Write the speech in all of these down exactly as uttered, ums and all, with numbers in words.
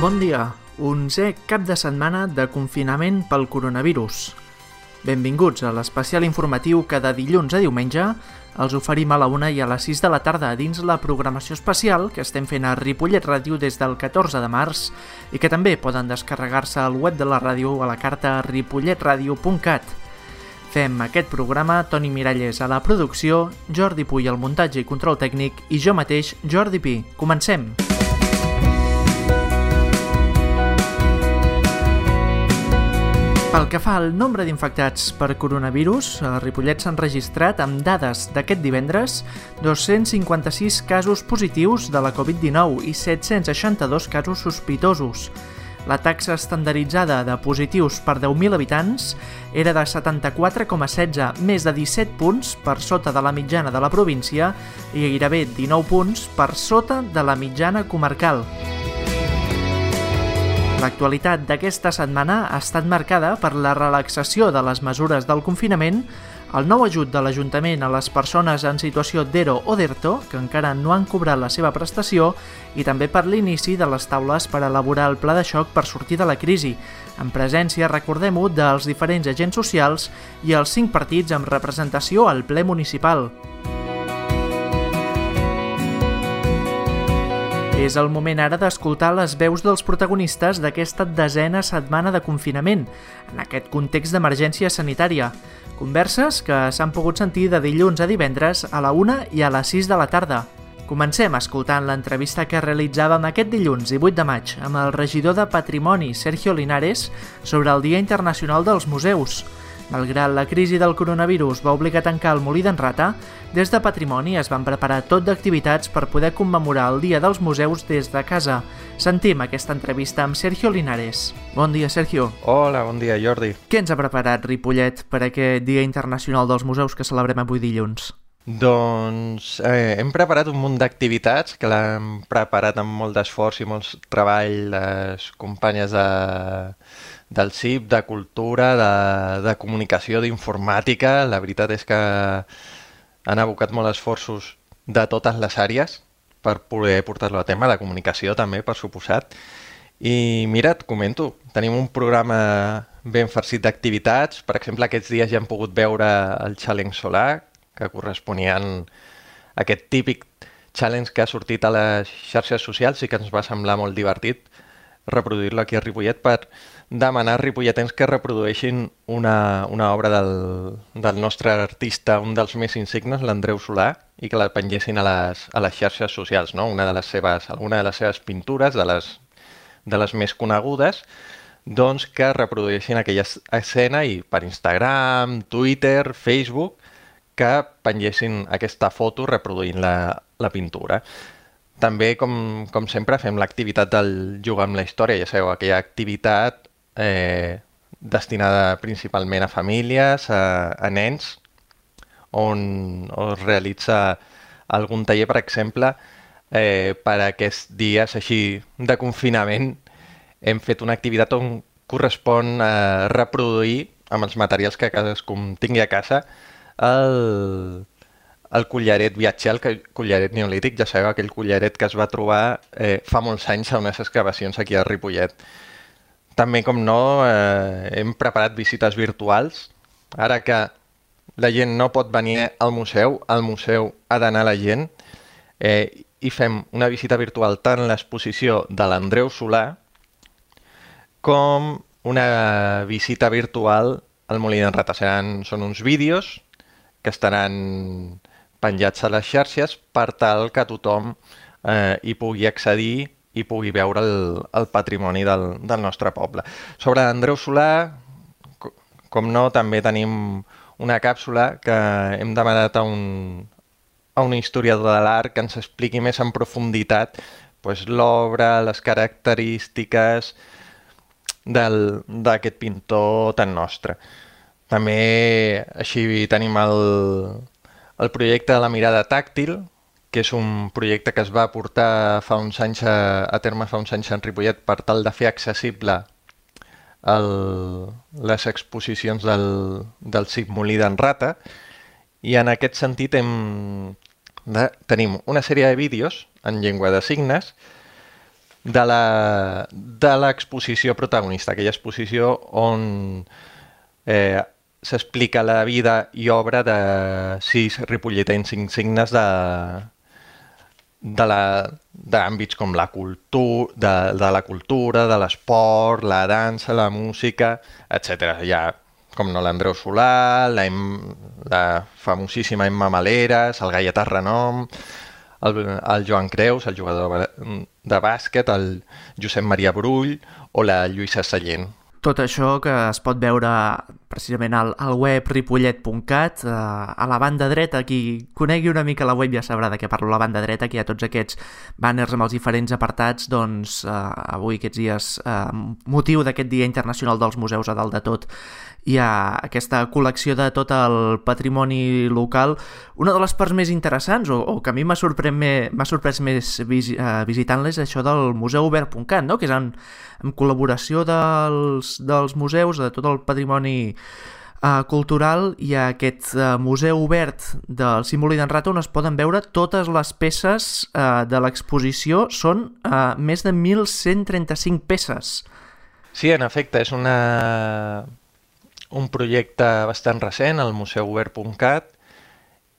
Bon dia, onzè cap de setmana de confinament pel coronavirus. Benvinguts a l'especial informatiu que de dilluns a diumenge els oferim a la una i a les sis de la tarda dins la programació especial que estem fent a Ripollet Ràdio des del catorze de març i que també poden descarregar-se al web de la ràdio a la carta ripollet ràdio punt cat. Fem aquest programa Toni Miralles a la producció, Jordi Puy al muntatge i control tècnic i jo mateix, Jordi Pi. Comencem! Pel que fa al nombre d'infectats per coronavirus, a Ripollet s'han registrat, amb dades d'aquest divendres, dos-cents cinquanta-sis casos positius de la covid dinou i set-cents seixanta-dos casos sospitosos. La taxa estandarditzada de positius per deu mil habitants era de setanta-quatre coma setze, més de disset punts per sota de la mitjana de la província i gairebé dinou punts per sota de la mitjana comarcal. L'actualitat d'aquesta setmana ha estat marcada per la relaxació de les mesures del confinament, el nou ajut de l'Ajuntament a les persones en situació d'ERO o d'ERTO, que encara no han cobrat la seva prestació, i també per l'inici de les taules per elaborar el pla de xoc per sortir de la crisi, en presència, recordem-ho, dels diferents agents socials i els cinc partits amb representació al ple municipal. És el moment ara d'escoltar les veus dels protagonistes d'aquesta desena setmana de confinament, en aquest context d'emergència sanitària. Converses que s'han pogut sentir de dilluns a divendres a la una i a les sis de la tarda. Comencem escoltant l'entrevista que realitzàvem aquest dilluns, divuit de maig, amb el regidor de Patrimoni, Sergio Linares, sobre el Dia Internacional dels Museus. Malgrat la crisi del coronavirus va obligar a tancar el Molí d'en Rata, des de Patrimoni es van preparar tot d'activitats per poder commemorar el Dia dels Museus des de casa. Sentim aquesta entrevista amb Sergio Linares. Bon dia, Sergio. Hola, bon dia, Jordi. Què ens ha preparat Ripollet per aquest Dia Internacional dels Museus que celebrem avui dilluns? Doncs eh, hem preparat un munt d'activitats que l'hem preparat amb molt d'esforç i molt treball les companyes de... del C I P, de cultura, de, de comunicació, d'informàtica. La veritat és que han abocat molt esforços de totes les àrees per poder portar-lo a tema, de comunicació també, per suposat. I mira, et comento, tenim un programa ben farcit d'activitats. Per exemple, aquests dies ja hem pogut veure el Challenge Solar, que corresponien a aquest típic challenge que ha sortit a les xarxes socials i que ens va semblar molt divertit reproduir-lo aquí a Ripollet per demanar a ripolletens que reprodueixin una, una obra del, del nostre artista, un dels més insignes, l'Andreu Solà, i que la pengessin a les, a les xarxes socials, no? Una de les seves, alguna de les seves pintures, de les, de les més conegudes, doncs que reprodueixin aquella escena i per Instagram, Twitter, Facebook, que pengessin aquesta foto reproduint la, la pintura. També, com, com sempre, fem l'activitat del jugar amb la història, ja sabeu, aquella activitat eh, destinada principalment a famílies, a, a nens, on es realitza algun taller, per exemple, eh, per aquests dies així de confinament. Hem fet una activitat on correspon a reproduir, amb els materials que cadascun tingui a casa, el... el collaret viatger, el collaret neolític, ja sabeu, aquell collaret que es va trobar eh, fa molts anys a unes excavacions aquí a Ripollet. També, com no, eh, hem preparat visites virtuals. Ara que la gent no pot venir al museu, al museu ha d'anar la gent, eh, i fem una visita virtual tant a l'exposició de l'Andreu Solà com una visita virtual al Molí d'en Rata. Seran, són uns vídeos que estaran penjats a les xarxes per tal que tothom eh, hi pugui accedir i pugui veure el, el patrimoni del, del nostre poble. Sobre Andreu Solà, com no, també tenim una càpsula que hem demanat a un, a un historiador de l'art que ens expliqui més en profunditat pues, l'obra, les característiques d'aquest pintor tan nostre. També així tenim el, el projecte de la mirada tàctil, que és un projecte que es va portar fa uns anys a, a terme fa uns anys en Ripollet per tal de fer accessible el, les exposicions del, del C I P Molí d'en Rata, i en aquest sentit hem de, tenim una sèrie de vídeos en llengua de signes de la- de l'exposició protagonista, aquella exposició on eh, s'explica la vida i obra de sis ripolletens insignes de, de la- d'àmbits com la cultura, de, de la cultura, de l'esport, la dansa, la música, etcètera. Hi ha, com no, l'Andreu Solà, la, Em- la famosíssima Emma Maleras, el Gaietà Renom, el, el Joan Creus, el jugador de, ba- de bàsquet, el Josep Maria Brull o la Lluïsa Sallent. Tot això que es pot veure precisament al, al web ripollet punt cat, eh, a la banda dreta, qui conegui una mica la web ja sabrà de què parlo, la banda dreta, que hi ha tots aquests banners amb els diferents apartats, doncs eh, avui aquests dies, eh, motiu d'aquest Dia Internacional dels Museus a dalt de tot, hi ha aquesta col·lecció de tot el patrimoni local. Una de les parts més interessants, o, o que a mi m'ha sorprès, m'ha sorprès més visi, uh, visitant-les, això del museu obert punt cat, no? Que és en, en col·laboració dels, dels museus, de tot el patrimoni uh, cultural. Hi ha aquest uh, museu obert del símbol d'en Rata on es poden veure totes les peces uh, de l'exposició. Són uh, més de mil cent trenta-cinc peces. Sí, en efecte, és una, un projecte bastant recent, el museu obert punt cat,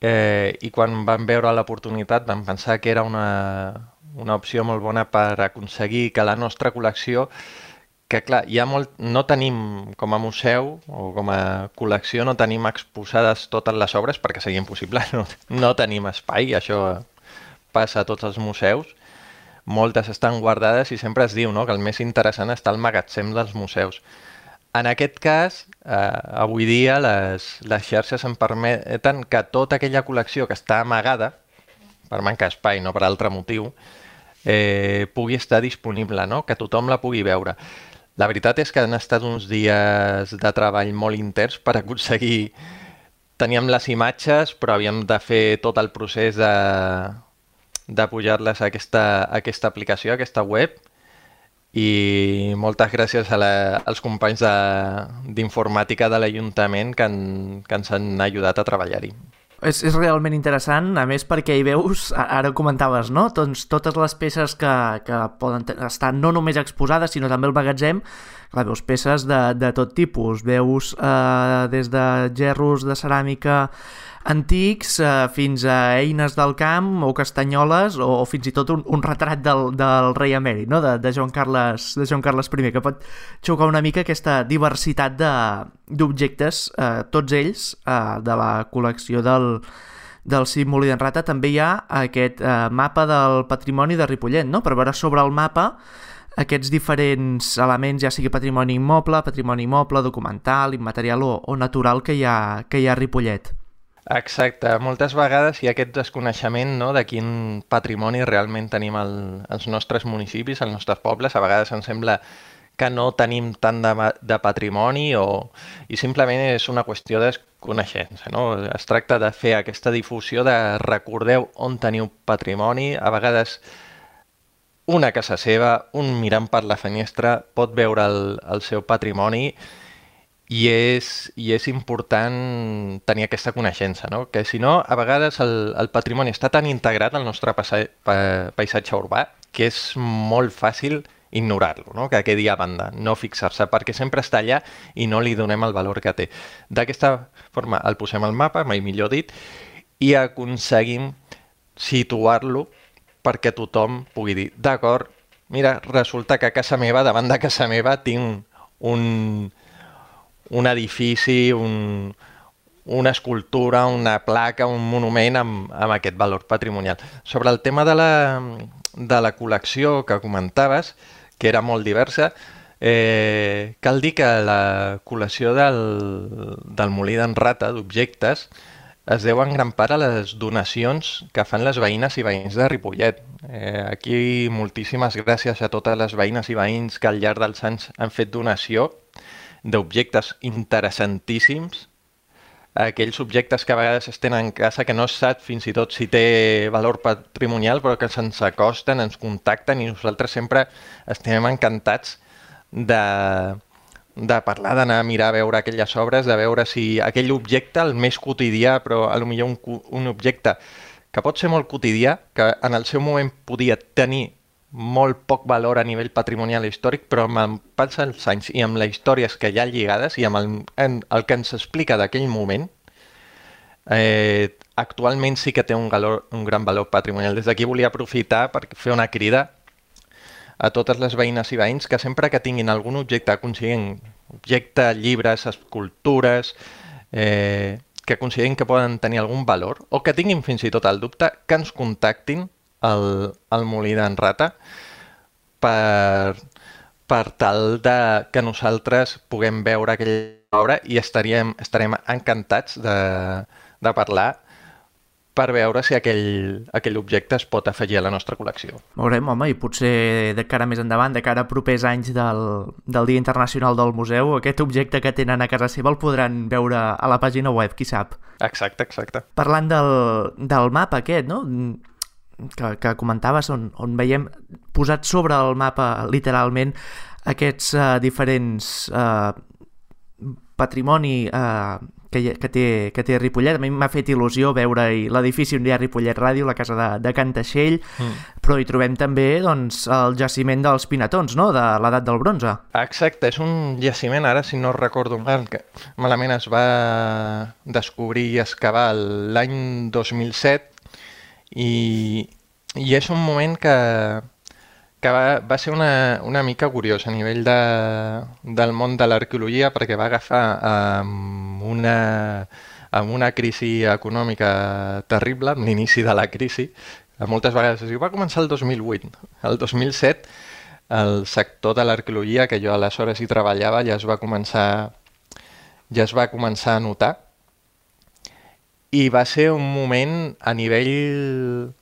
eh, i quan vam veure l'oportunitat vam pensar que era una, una opció molt bona per aconseguir que la nostra col·lecció, que clar, hi ha molt, no tenim com a museu o com a col·lecció, no tenim exposades totes les obres perquè seria impossible, no, no tenim espai, això passa a tots els museus, moltes estan guardades i sempre es diu, no?, que el més interessant està al magatzem dels museus. En aquest cas, eh, avui dia les, les xarxes em permeten que tota aquella col·lecció que està amagada, per manca d'espai, no per altre motiu, eh, pugui estar disponible, no?, que tothom la pugui veure. La veritat és que han estat uns dies de treball molt interns per aconseguir... Teníem les imatges, però havíem de fer tot el procés de, de pujar-les a aquesta, a aquesta aplicació, a aquesta web, i moltes gràcies a la, als companys d'informàtica de, de l'Ajuntament que, han, que ens han ajudat a treballar-hi. És, és realment interessant, a més perquè hi veus, ara ho comentaves, no? Doncs totes les peces que, que poden estar no només exposades, sinó també al magatzem. Clar, veus peces de, de tot tipus, veus eh, des de gerros de ceràmica antics eh, fins a eines del camp o castanyoles o, o fins i tot un, un retrat del, del rei emèrit, no? de, de, Joan Carles, de Joan Carles I, que pot xocar una mica aquesta diversitat d'objectes, eh, tots ells eh, de la col·lecció del, del Cim Molí d'en Rata. També hi ha aquest eh, mapa del patrimoni de Ripollet, no? Per veure sobre el mapa aquests diferents elements, ja sigui patrimoni immoble, patrimoni immoble, documental, immaterial o, o natural que hi ha, que hi ha a Ripollet. Exacte. Moltes vegades hi ha aquest desconeixement, no?, de quin patrimoni realment tenim al, als nostres municipis, als nostres pobles. A vegades ens sembla que no tenim tant de, de patrimoni o, i simplement és una qüestió de coneixença, no? Es tracta de fer aquesta difusió de recordeu on teniu patrimoni. A vegades una casa seva, un mirant per la finestra, pot veure el, el seu patrimoni. I és, I és important tenir aquesta coneixença, no? Que si no, a vegades el, el patrimoni està tan integrat al nostre passa, pa, paisatge urbà que és molt fàcil ignorar-lo, no? Que quedi a banda, no fixar-se, perquè sempre està allà i no li donem el valor que té. D'aquesta forma el posem al mapa, mai millor dit, i aconseguim situar-lo perquè tothom pugui dir, d'acord, mira, resulta que a casa meva, davant de casa meva, tinc un... un edifici, un, una escultura, una placa, un monument amb, amb aquest valor patrimonial. Sobre el tema de la, de la col·lecció que comentaves, que era molt diversa, eh, cal dir que la col·lecció del, del Molí d'en Rata, d'objectes, es deu en gran part a les donacions que fan les veïnes i veïns de Ripollet. Eh, aquí moltíssimes gràcies a totes les veïnes i veïns que al llarg dels anys han fet donació d'objectes interessantíssims, aquells objectes que a vegades es tenen en casa que no es sap fins i tot si té valor patrimonial, però que se'ns acosten, ens contacten i nosaltres sempre estem encantats de, de parlar, d'anar a mirar a veure aquelles obres, de veure si aquell objecte, el més quotidià, però a lo millor un, un objecte que pot ser molt quotidià, que en el seu moment podia tenir molt poc valor a nivell patrimonial i històric, però amb el pas dels anys i amb les històries que hi ha lligades i amb el, en, el que ens explica d'aquell moment, eh, actualment sí que té un, valor, un gran valor patrimonial. Des d'aquí volia aprofitar per fer una crida a totes les veïnes i veïns que sempre que tinguin algun objecte aconseguint, objecte, llibres, escultures, eh, que considerin que poden tenir algun valor o que tinguin fins i tot el dubte, que ens contactin al, al Molí d'en Rata per, per tal de que nosaltres puguem veure aquella obra i estaríem, estarem encantats de, de parlar per veure si aquell, aquell objecte es pot afegir a la nostra col·lecció. Veurem, home, i potser de cara més endavant, de cara a propers anys del, del Dia Internacional del Museu, aquest objecte que tenen a casa seva el podran veure a la pàgina web, qui sap. Exacte, exacte. Parlant del, del mapa aquest, no?, que, que comentaves, on, on veiem posat sobre el mapa, literalment, aquests uh, diferents uh, patrimoni uh, que, que, té, que té Ripollet. A mi m'ha fet il·lusió veure l'edifici on hi ha Ripollet Ràdio, la casa de, de Can Taixell, mm. però hi trobem també doncs, el jaciment dels Pinatons, no?, de l'edat del bronze. Exacte, és un jaciment, ara si no recordo mal, que malament es va descobrir i excavar l'any dos mil set i, i és un moment que, que va, va ser una, una mica curiós a nivell de, del món de l'arqueologia, perquè va agafar amb una, amb una crisi econòmica terrible, amb l'inici de la crisi. Moltes vegades es diu, va començar el dos mil vuit. El dos mil set el sector de l'arqueologia, que jo aleshores hi treballava, ja es va començar, ja es va començar a notar. I va ser un moment a nivell...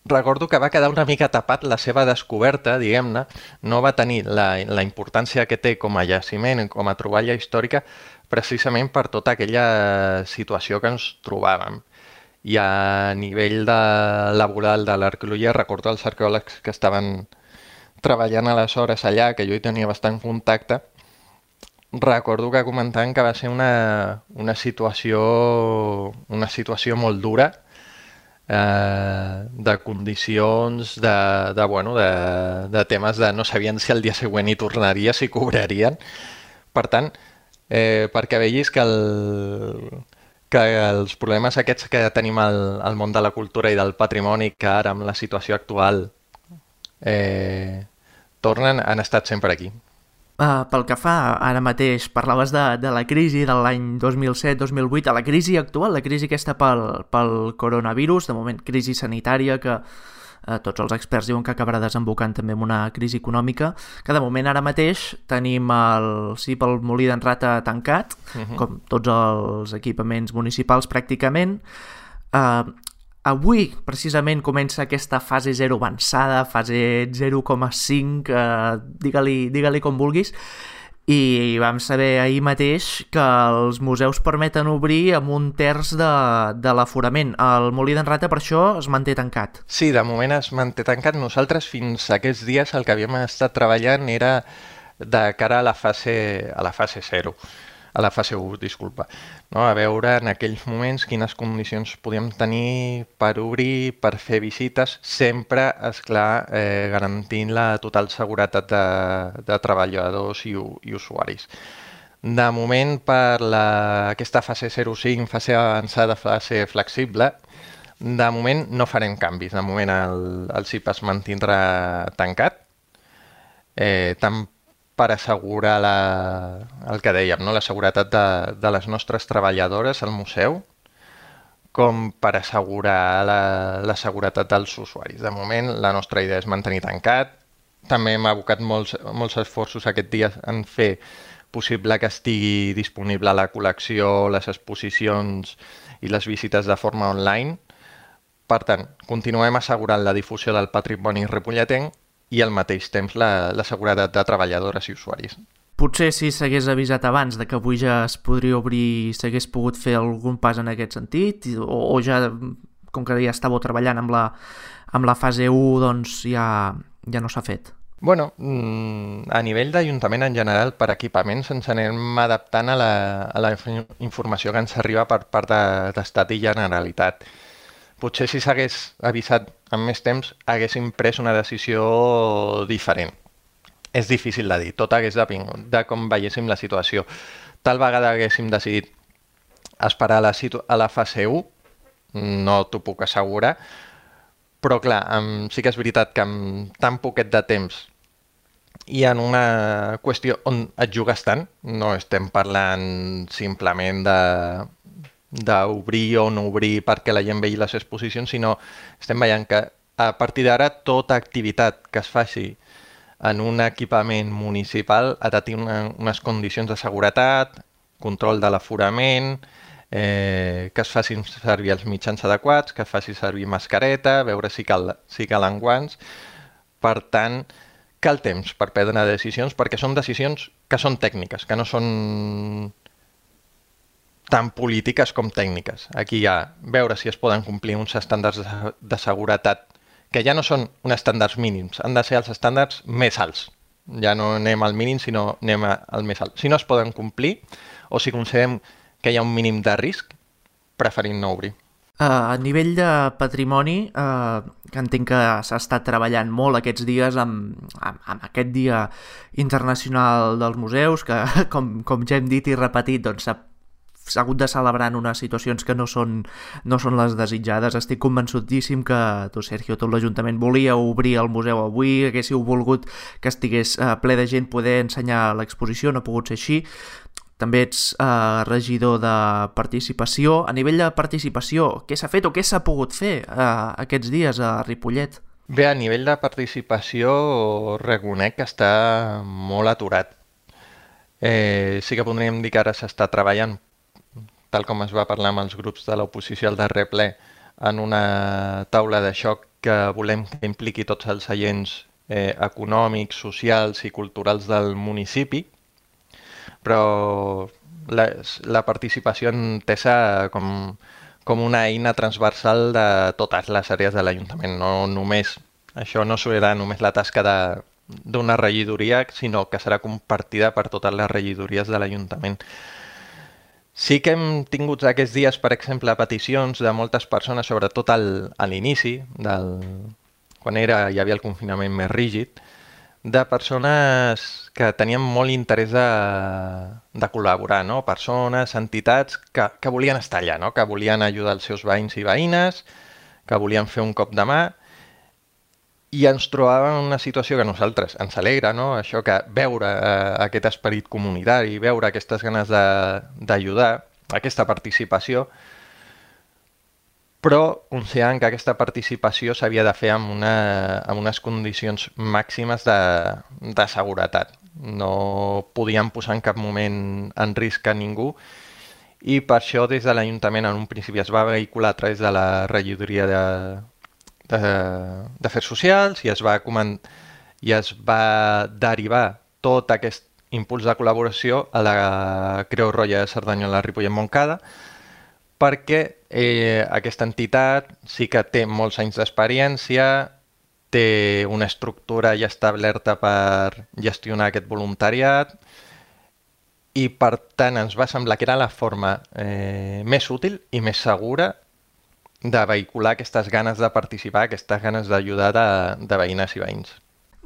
Recordo que va quedar una mica tapat la seva descoberta, diguem-ne, no va tenir la, la importància que té com a jaciment, com a troballa històrica, precisament per tota aquella situació que ens trobàvem. I a nivell de laboral de l'arqueologia, recordo els arqueòlegs que estaven treballant aleshores allà, que jo hi tenia bastant contacte, recordo que comentaven que va ser una, una, situació, una situació molt dura, eh, de condicions, de, de, bueno, de, de temes de no sabien si el dia següent hi tornaria, si cobrarien. Per tant, eh, perquè vegis que, el, que els problemes aquests que tenim al, al món de la cultura i del patrimoni, que ara amb la situació actual eh, tornen, han estat sempre aquí. Uh, pel que fa, ara mateix parlaves de, de la crisi de l'any dos mil set dos mil vuit, a la crisi actual, la crisi aquesta pel, pel coronavirus, de moment crisi sanitària que uh, tots els experts diuen que acabarà desembocant també en una crisi econòmica, que de moment ara mateix tenim el C I P, el Molí d'en Rata tancat, uh-huh. com tots els equipaments municipals pràcticament. Uh, Avui, precisament, comença aquesta fase zero avançada, fase zero coma cinc, eh, digue-li digue-li com vulguis, i vam saber ahir mateix que els museus permeten obrir amb un terç de, de l'aforament. El Molí d'en Rata, per això, es manté tancat. Sí, de moment es manté tancat. Nosaltres, fins aquests dies, el que havíem estat treballant era de cara a la fase, a la fase zero. A la fase u, disculpa, no? A veure en aquells moments quines condicions podíem tenir per obrir, per fer visites, sempre, esclar, eh, garantint la total seguretat de, de treballadors i, i usuaris. De moment, per la, aquesta fase zero coma cinc, fase avançada, fase flexible, de moment no farem canvis. De moment el, el C I P es mantindrà tancat, eh, tant per assegurar la, el que dèiem, no? La seguretat de, de les nostres treballadores al museu, com per assegurar la, la seguretat dels usuaris. De moment, la nostra idea és mantenir tancat. També hem abocat molts, molts esforços aquest dia en fer possible que estigui disponible la col·lecció, les exposicions i les visites de forma online. Per tant, continuem assegurant la difusió del patrimoni ripolletenc i al mateix temps la, la seguretat de treballadores i usuaris. Potser si s'hagués avisat abans de que avui ja es podria obrir, s'hagués pogut fer algun pas en aquest sentit, o, o ja, com que ja estàveu treballant amb la, amb la fase u, doncs ja, ja no s'ha fet. Bueno, a nivell d'Ajuntament en general, per equipaments ens anem adaptant a la, a la informació que ens arriba per part de, d'Estat i Generalitat. potser si s'hagués avisat amb més temps haguéssim pres una decisió diferent. És difícil de dir, tot hagués depengut de com veiéssim la situació. Tal vegada haguéssim decidit esperar a la, situ a la fase u, no t'ho puc assegurar, però clar, amb, sí que és veritat que amb tan poquet de temps i en una qüestió on et jugues tant, no estem parlant simplement de d'obrir o no obrir perquè la gent vegi les exposicions, sinó estem veient que a partir d'ara tota activitat que es faci en un equipament municipal ha de tenir una, unes condicions de seguretat, control de l'aforament, eh, que es facin servir els mitjans adequats, que es faci servir mascareta, veure si, cal, si calen guants. Per tant, cal temps per prendre decisions, perquè són decisions que són tècniques, que no són tan polítiques com tècniques. Aquí hi ha veure si es poden complir uns estàndards de, de seguretat que ja no són uns estàndards mínims, han de ser els estàndards més alts. Ja no anem al mínim, sinó anem al més alt. Si no es poden complir, o si considerem que hi ha un mínim de risc, preferim no obrir. Uh, a nivell de patrimoni, uh, que entenc que s'ha estat treballant molt aquests dies amb, amb, amb aquest Dia Internacional dels Museus, que com, com ja hem dit i repetit, doncs s'ha s'ha hagut de celebrar en unes situacions que no són, no són les desitjades. Estic convençudíssim que tu, Sergio, tot l'Ajuntament volia obrir el museu avui, haguéssiu volgut que estigués eh, ple de gent poder ensenyar l'exposició, no ha pogut ser així. També ets eh, regidor de participació. A nivell de participació, què s'ha fet o què s'ha pogut fer eh, aquests dies a Ripollet? Bé, a nivell de participació reconec que està molt aturat. Eh, sí que podríem dir que ara s'està treballant, tal com es va parlar amb els grups de l'oposició al darrer ple, en una taula de xoc que volem que impliqui tots els agents eh, econòmics, socials i culturals del municipi, però la, la participació entesa com, com una eina transversal de totes les àrees de l'Ajuntament. No només, això no serà només la tasca de, d'una regidoria, sinó que serà compartida per totes les regidories de l'Ajuntament. Sí que hem tingut aquests dies, per exemple, peticions de moltes persones, sobretot al, a l'inici, del, quan era, hi havia el confinament més rígid, de persones que tenien molt interès de, de col·laborar, no? Persones, entitats que, que volien estar allà, no? Que volien ajudar els seus veïns i veïnes, que volien fer un cop de mà, i ens trobàvem en una situació que a nosaltres ens alegra, no? Això que veure eh, aquest esperit comunitari, veure aquestes ganes d'ajudar, aquesta participació, però considerant que aquesta participació s'havia de fer amb, una, amb unes condicions màximes de, de seguretat. No podíem posar en cap moment en risc a ningú, i per això des de l'Ajuntament en un principi es va vehicular a través de la regidoria de d'Afers Socials i es va i es va derivar tot aquest impuls de col·laboració a la Creu Roja de Cerdanyola, Ripollet, Montcada, perquè eh, aquesta entitat sí que té molts anys d'experiència, té una estructura ja establerta per gestionar aquest voluntariat i per tant ens va semblar que era la forma eh, més útil i més segura de vehicular aquestes ganes de participar, aquestes ganes d'ajudar de, de veïnes i veïns.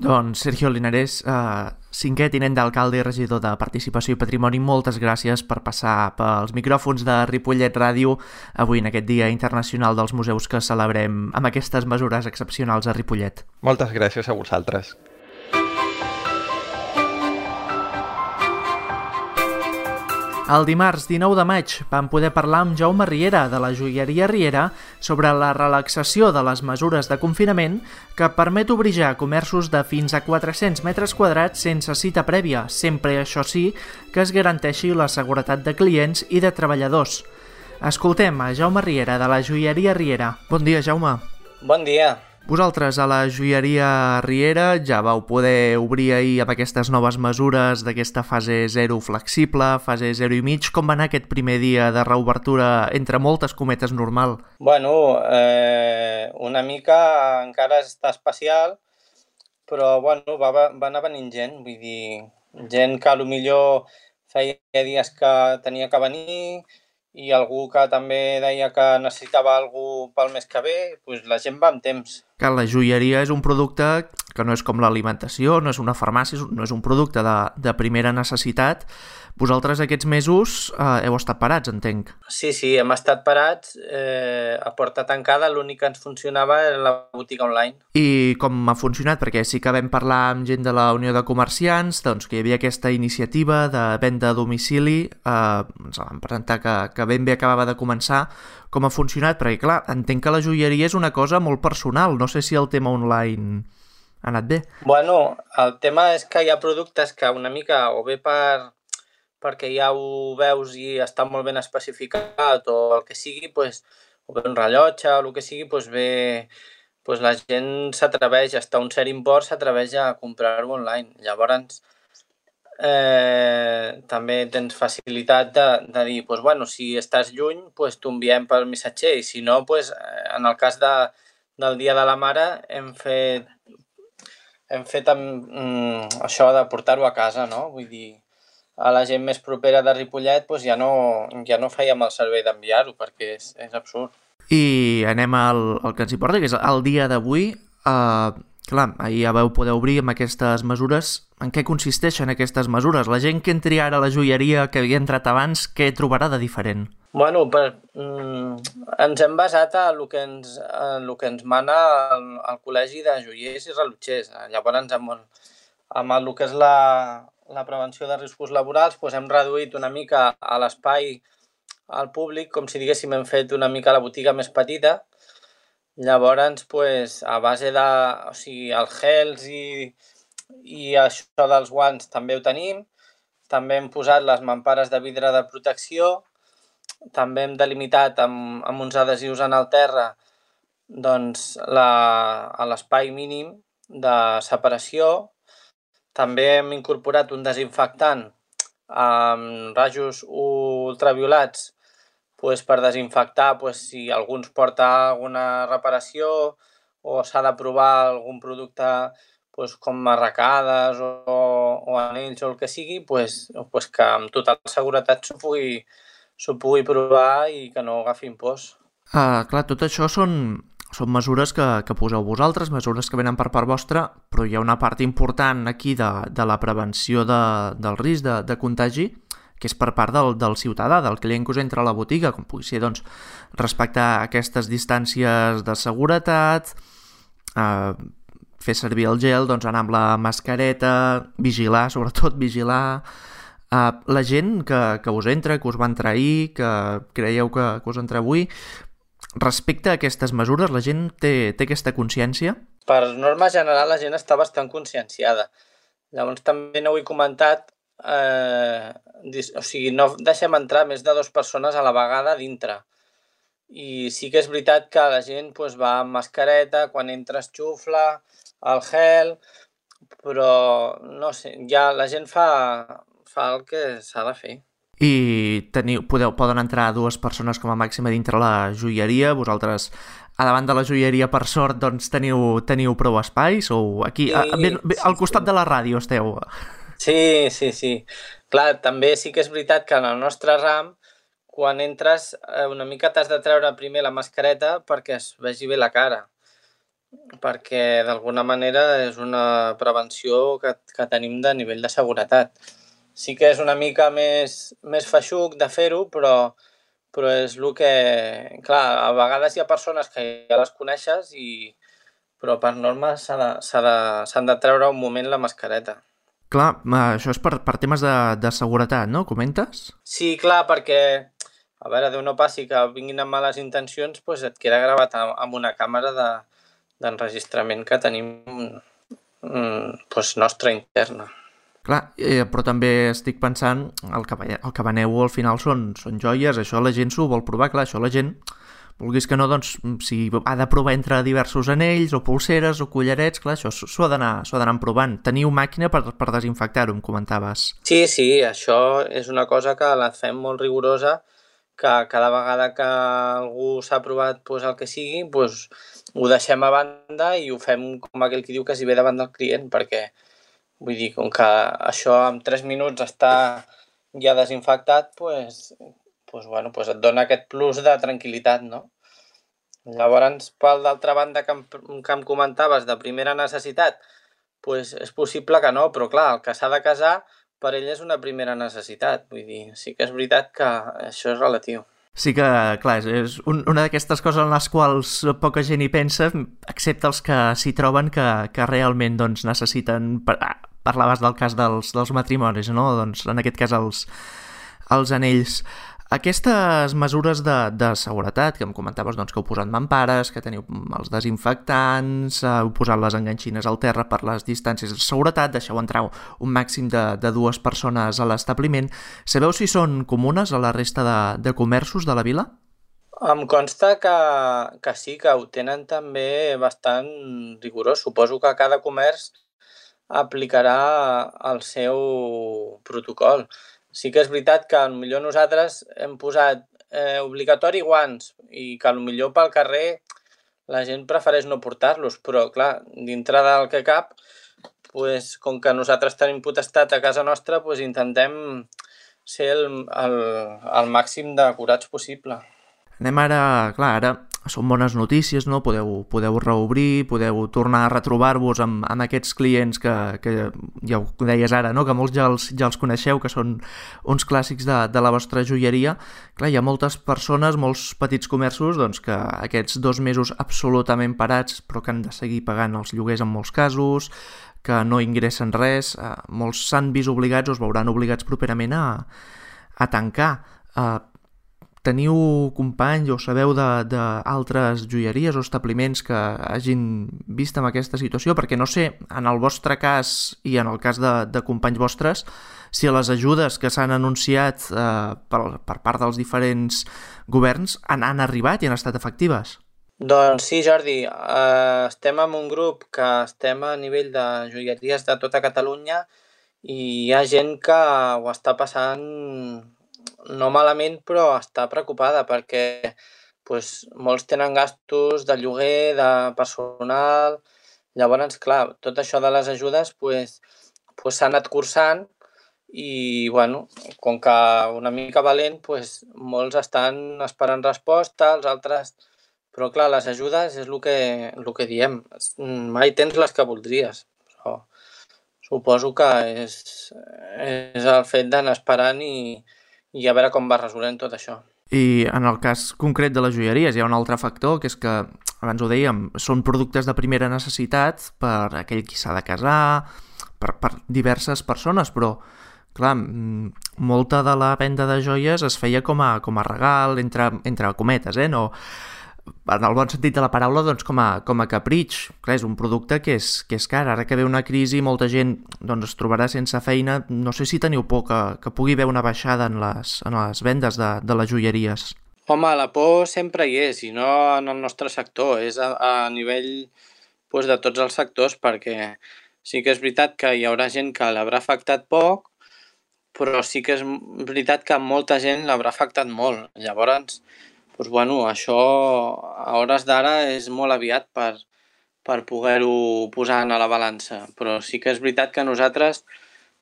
Doncs Sergio Linares, eh, cinquè tinent d'alcalde i regidor de Participació i Patrimoni, moltes gràcies per passar pels micròfons de Ripollet Ràdio avui en aquest Dia Internacional dels Museus que celebrem amb aquestes mesures excepcionals a Ripollet. Moltes gràcies a vosaltres. El dimarts dinou de maig vam poder parlar amb Jaume Riera, de la joieria Riera, sobre la relaxació de les mesures de confinament que permet obrir ja comerços de fins a quatre-cents metres quadrats sense cita prèvia, sempre, això sí, que es garanteixi la seguretat de clients i de treballadors. Escoltem a Jaume Riera, de la joieria Riera. Bon dia, Jaume. Bon dia. Vosaltres a la joieria Riera ja vau poder obrir ahir amb aquestes noves mesures d'aquesta fase zero flexible, fase zero i mig. Com va anar aquest primer dia de reobertura, entre moltes cometes, normal? Bueno, eh, una mica encara està especial, però bueno, va, va anar venint gent, vull dir, gent que potser feia dies que tenia que venir i algú que també deia que necessitava algú pel mes que ve, doncs la gent va amb temps. Que la joieria és un producte que no és com l'alimentació, no és una farmàcia, no és un producte de, de primera necessitat. Vosaltres aquests mesos eh, heu estat parats, entenc. Sí, sí, hem estat parats, eh, a porta tancada, l'únic que ens funcionava era la botiga online. I com ha funcionat? Perquè sí que vam parlar amb gent de la Unió de Comerciants, doncs que hi havia aquesta iniciativa de venda a domicili, eh, ens la van presentar que, que ben bé acabava de començar. Com ha funcionat? Perquè clar, entenc que la joieria és una cosa molt personal, no sé si el tema online ha anat bé. Bueno, el tema és que hi ha productes que una mica o bé per perquè ja ho veus i està molt ben especificat o el que sigui, pues, o bé un rellotge o el que sigui, pues bé, pues la gent s'atreveix, hasta un cert import s'atreveix a comprar-ho online. Llavors, eh, també tens facilitat de, de dir, pues, bueno, si estàs lluny, pues, t'ho enviem pel missatger i si no, pues, en el cas de, del Dia de la Mare hem fet, hem fet amb, mm, això de portar-ho a casa, no? Vull dir, a la gent més propera de Ripollet doncs ja no, ja no fèiem el servei d'enviar-ho perquè és, és absurd. I anem al, al que ens importa, que és el dia d'avui. Uh, clar, ahir ja vau poder obrir amb aquestes mesures. En què consisteixen aquestes mesures? La gent que entri ara a la joieria que havia entrat abans, què trobarà de diferent? Bueno, per, mm, ens hem basat a el que ens, a el que ens mana el, el Col·legi de Joiers i Relotgers. Llavors, amb, amb el que és la, la prevenció de riscos laborals, doncs hem reduït una mica a l'espai al públic, com si diguéssim hem fet una mica la botiga més petita. Llavors, doncs, a base de, o sigui, els gels i, i això dels guants també ho tenim. També hem posat les mampares de vidre de protecció. També hem delimitat amb, amb uns adhesius en el terra doncs, la, a l'espai mínim de separació. També hem incorporat un desinfectant amb rajos ultraviolats pues, per desinfectar pues, si algú ens porta alguna reparació o s'ha de provar algun producte pues, com arracades o, o anells o el que sigui, pues, pues, que amb total seguretat s'ho pugui, s'ho pugui provar i que no agafin pors. Uh, clar, tot això són, són mesures que, que poseu vosaltres, mesures que venen per part vostra, però hi ha una part important aquí de, de la prevenció de, del risc de, de contagi, que és per part del, del ciutadà, del client que us entra a la botiga, com pugui ser doncs, respectar aquestes distàncies de seguretat, eh, fer servir el gel, doncs, anar amb la mascareta, vigilar, sobretot vigilar. Eh, la gent que, que us entra, que us va entrar ahir, que creieu que, que us entra avui, respecte a aquestes mesures, la gent té, té aquesta consciència? Per norma general, la gent està bastant conscienciada. Llavors, també no ho he comentat, eh, o sigui, no deixem entrar més de dues persones a la vegada dintre. I sí que és veritat que la gent pues, va amb mascareta, quan entres xufla, el gel, però no sé, ja la gent fa, fa el que s'ha de fer. I teniu, podeu, poden entrar dues persones com a màxim a dintre la joieria. Vosaltres, a davant de la joieria, per sort, doncs teniu, teniu prou espais? O aquí, sí, a, ben, ben, al costat sí. de la ràdio esteu? Sí, sí, sí. Clar, també sí que és veritat que en el nostre ram, quan entres, una mica t'has de treure primer la mascareta perquè es vegi bé la cara. Perquè d'alguna manera és una prevenció que, que tenim de nivell de seguretat. Sí que és una mica més, més feixuc de fer-ho, però, però és el que... Clar, a vegades hi ha persones que ja les coneixes, i, però per norma s'han de, s'ha de, s'han de treure un moment la mascareta. Clar, això és per, per temes de, de seguretat, no? Comentes? Sí, clar, perquè, a veure, Déu no passi que vinguin amb males intencions, doncs et queda gravat amb una càmera de, d'enregistrament que tenim doncs, nostra interna. Clar, eh, però també estic pensant, el que, el que veneu al final són, són joies, això la gent s'ho vol provar, clar, això la gent, vulguis que no, doncs, si ha de provar entre diversos anells o pulseres o collarets, clar, això s'ho ha d'anar s'ho ha d'anar provant. Teniu màquina per, per desinfectar-ho, em comentaves. Sí, sí, això és una cosa que la fem molt rigorosa, que cada vegada que algú s'ha provat doncs, el que sigui, doncs, ho deixem a banda i ho fem com aquell que diu que s'hi ve davant del client, perquè vull dir, com que això en tres minuts està ja desinfectat, doncs, pues, bueno, pues et dona aquest plus de tranquil·litat, no? Llavors, per d'altra banda que em, que em comentaves de primera necessitat, pues és possible que no, però clar, el que s'ha de casar per ell és una primera necessitat. Vull dir, sí que és veritat que això és relatiu. Sí que, clar, és un, una d'aquestes coses en les quals poca gent hi pensa, excepte els que s'hi troben que, que realment doncs, necessiten... Parlaves del cas dels, dels matrimonis, no? Doncs, en aquest cas els, els anells. Aquestes mesures de, de seguretat, que em comentaves doncs, que heu posat mampares, que teniu els desinfectants, heu posat les enganxines al terra per les distàncies de seguretat, deixeu entrar un màxim de, de dues persones a l'establiment. Sabeu si són comunes a la resta de, de comerços de la vila? Em consta que, que sí, que ho tenen també bastant rigorós. Suposo que cada comerç aplicarà el seu protocol. Sí que és veritat que potser nosaltres hem posat eh, obligatori guants i que potser pel carrer la gent prefereix no portar-los, però clar, dintre del que cap, pues, com que nosaltres tenim potestat a casa nostra, pues, intentem ser el, el, el màxim d'acurats possible. Anem ara, clar, ara són bones notícies, no? Podeu, podeu reobrir, podeu tornar a retrobar-vos amb, amb aquests clients que, que ja ho deies ara, no? Que molts ja els, ja els coneixeu, que són uns clàssics de, de la vostra joieria. Clar, hi ha moltes persones, molts petits comerços, doncs, que aquests dos mesos absolutament parats, però que han de seguir pagant els lloguers en molts casos, que no ingressen res, eh, molts s'han vist obligats o es veuran obligats properament a, a tancar. Eh, Teniu companys o sabeu d'altres joieries o establiments que hagin vist en aquesta situació? Perquè no sé, en el vostre cas i en el cas de, de companys vostres, si les ajudes que s'han anunciat eh, per, per part dels diferents governs han, han arribat i han estat efectives. Doncs sí, Jordi, eh, estem en un grup que estem a nivell de joieries de tota Catalunya i hi ha gent que ho està passant no malament, però està preocupada perquè pues, molts tenen gastos de lloguer, de personal. Llavors, clar, tot això de les ajudes pues, pues, s'ha anat cursant i, bueno, com que una mica valent, pues, molts estan esperant resposta, els altres... Però, clar, les ajudes és el que, el que diem. Mai tens les que voldries, però suposo que és, és el fet d'anar esperant i, i a veure com va resolent tot això. I en el cas concret de les joieries hi ha un altre factor, que és que, abans ho dèiem, són productes de primera necessitat per aquell qui s'ha de casar, per, per diverses persones, però, clar, molta de la venda de joies es feia com a, com a regal, entre, entre cometes, eh? No, en el bon sentit de la paraula, doncs com a, com a capritx. Clar, és un producte que és, que és car. Ara que ve una crisi, molta gent doncs, es trobarà sense feina. No sé si teniu por que, que pugui haver una baixada en les, en les vendes de, de les joieries. Home, la por sempre hi és, i no en el nostre sector, és a, a nivell pues, de tots els sectors, perquè sí que és veritat que hi haurà gent que l'haurà afectat poc, però sí que és veritat que molta gent l'haurà afectat molt. Llavors, doncs, bueno, això a hores d'ara és molt aviat per, per poder-ho posar a la balança, però sí que és veritat que nosaltres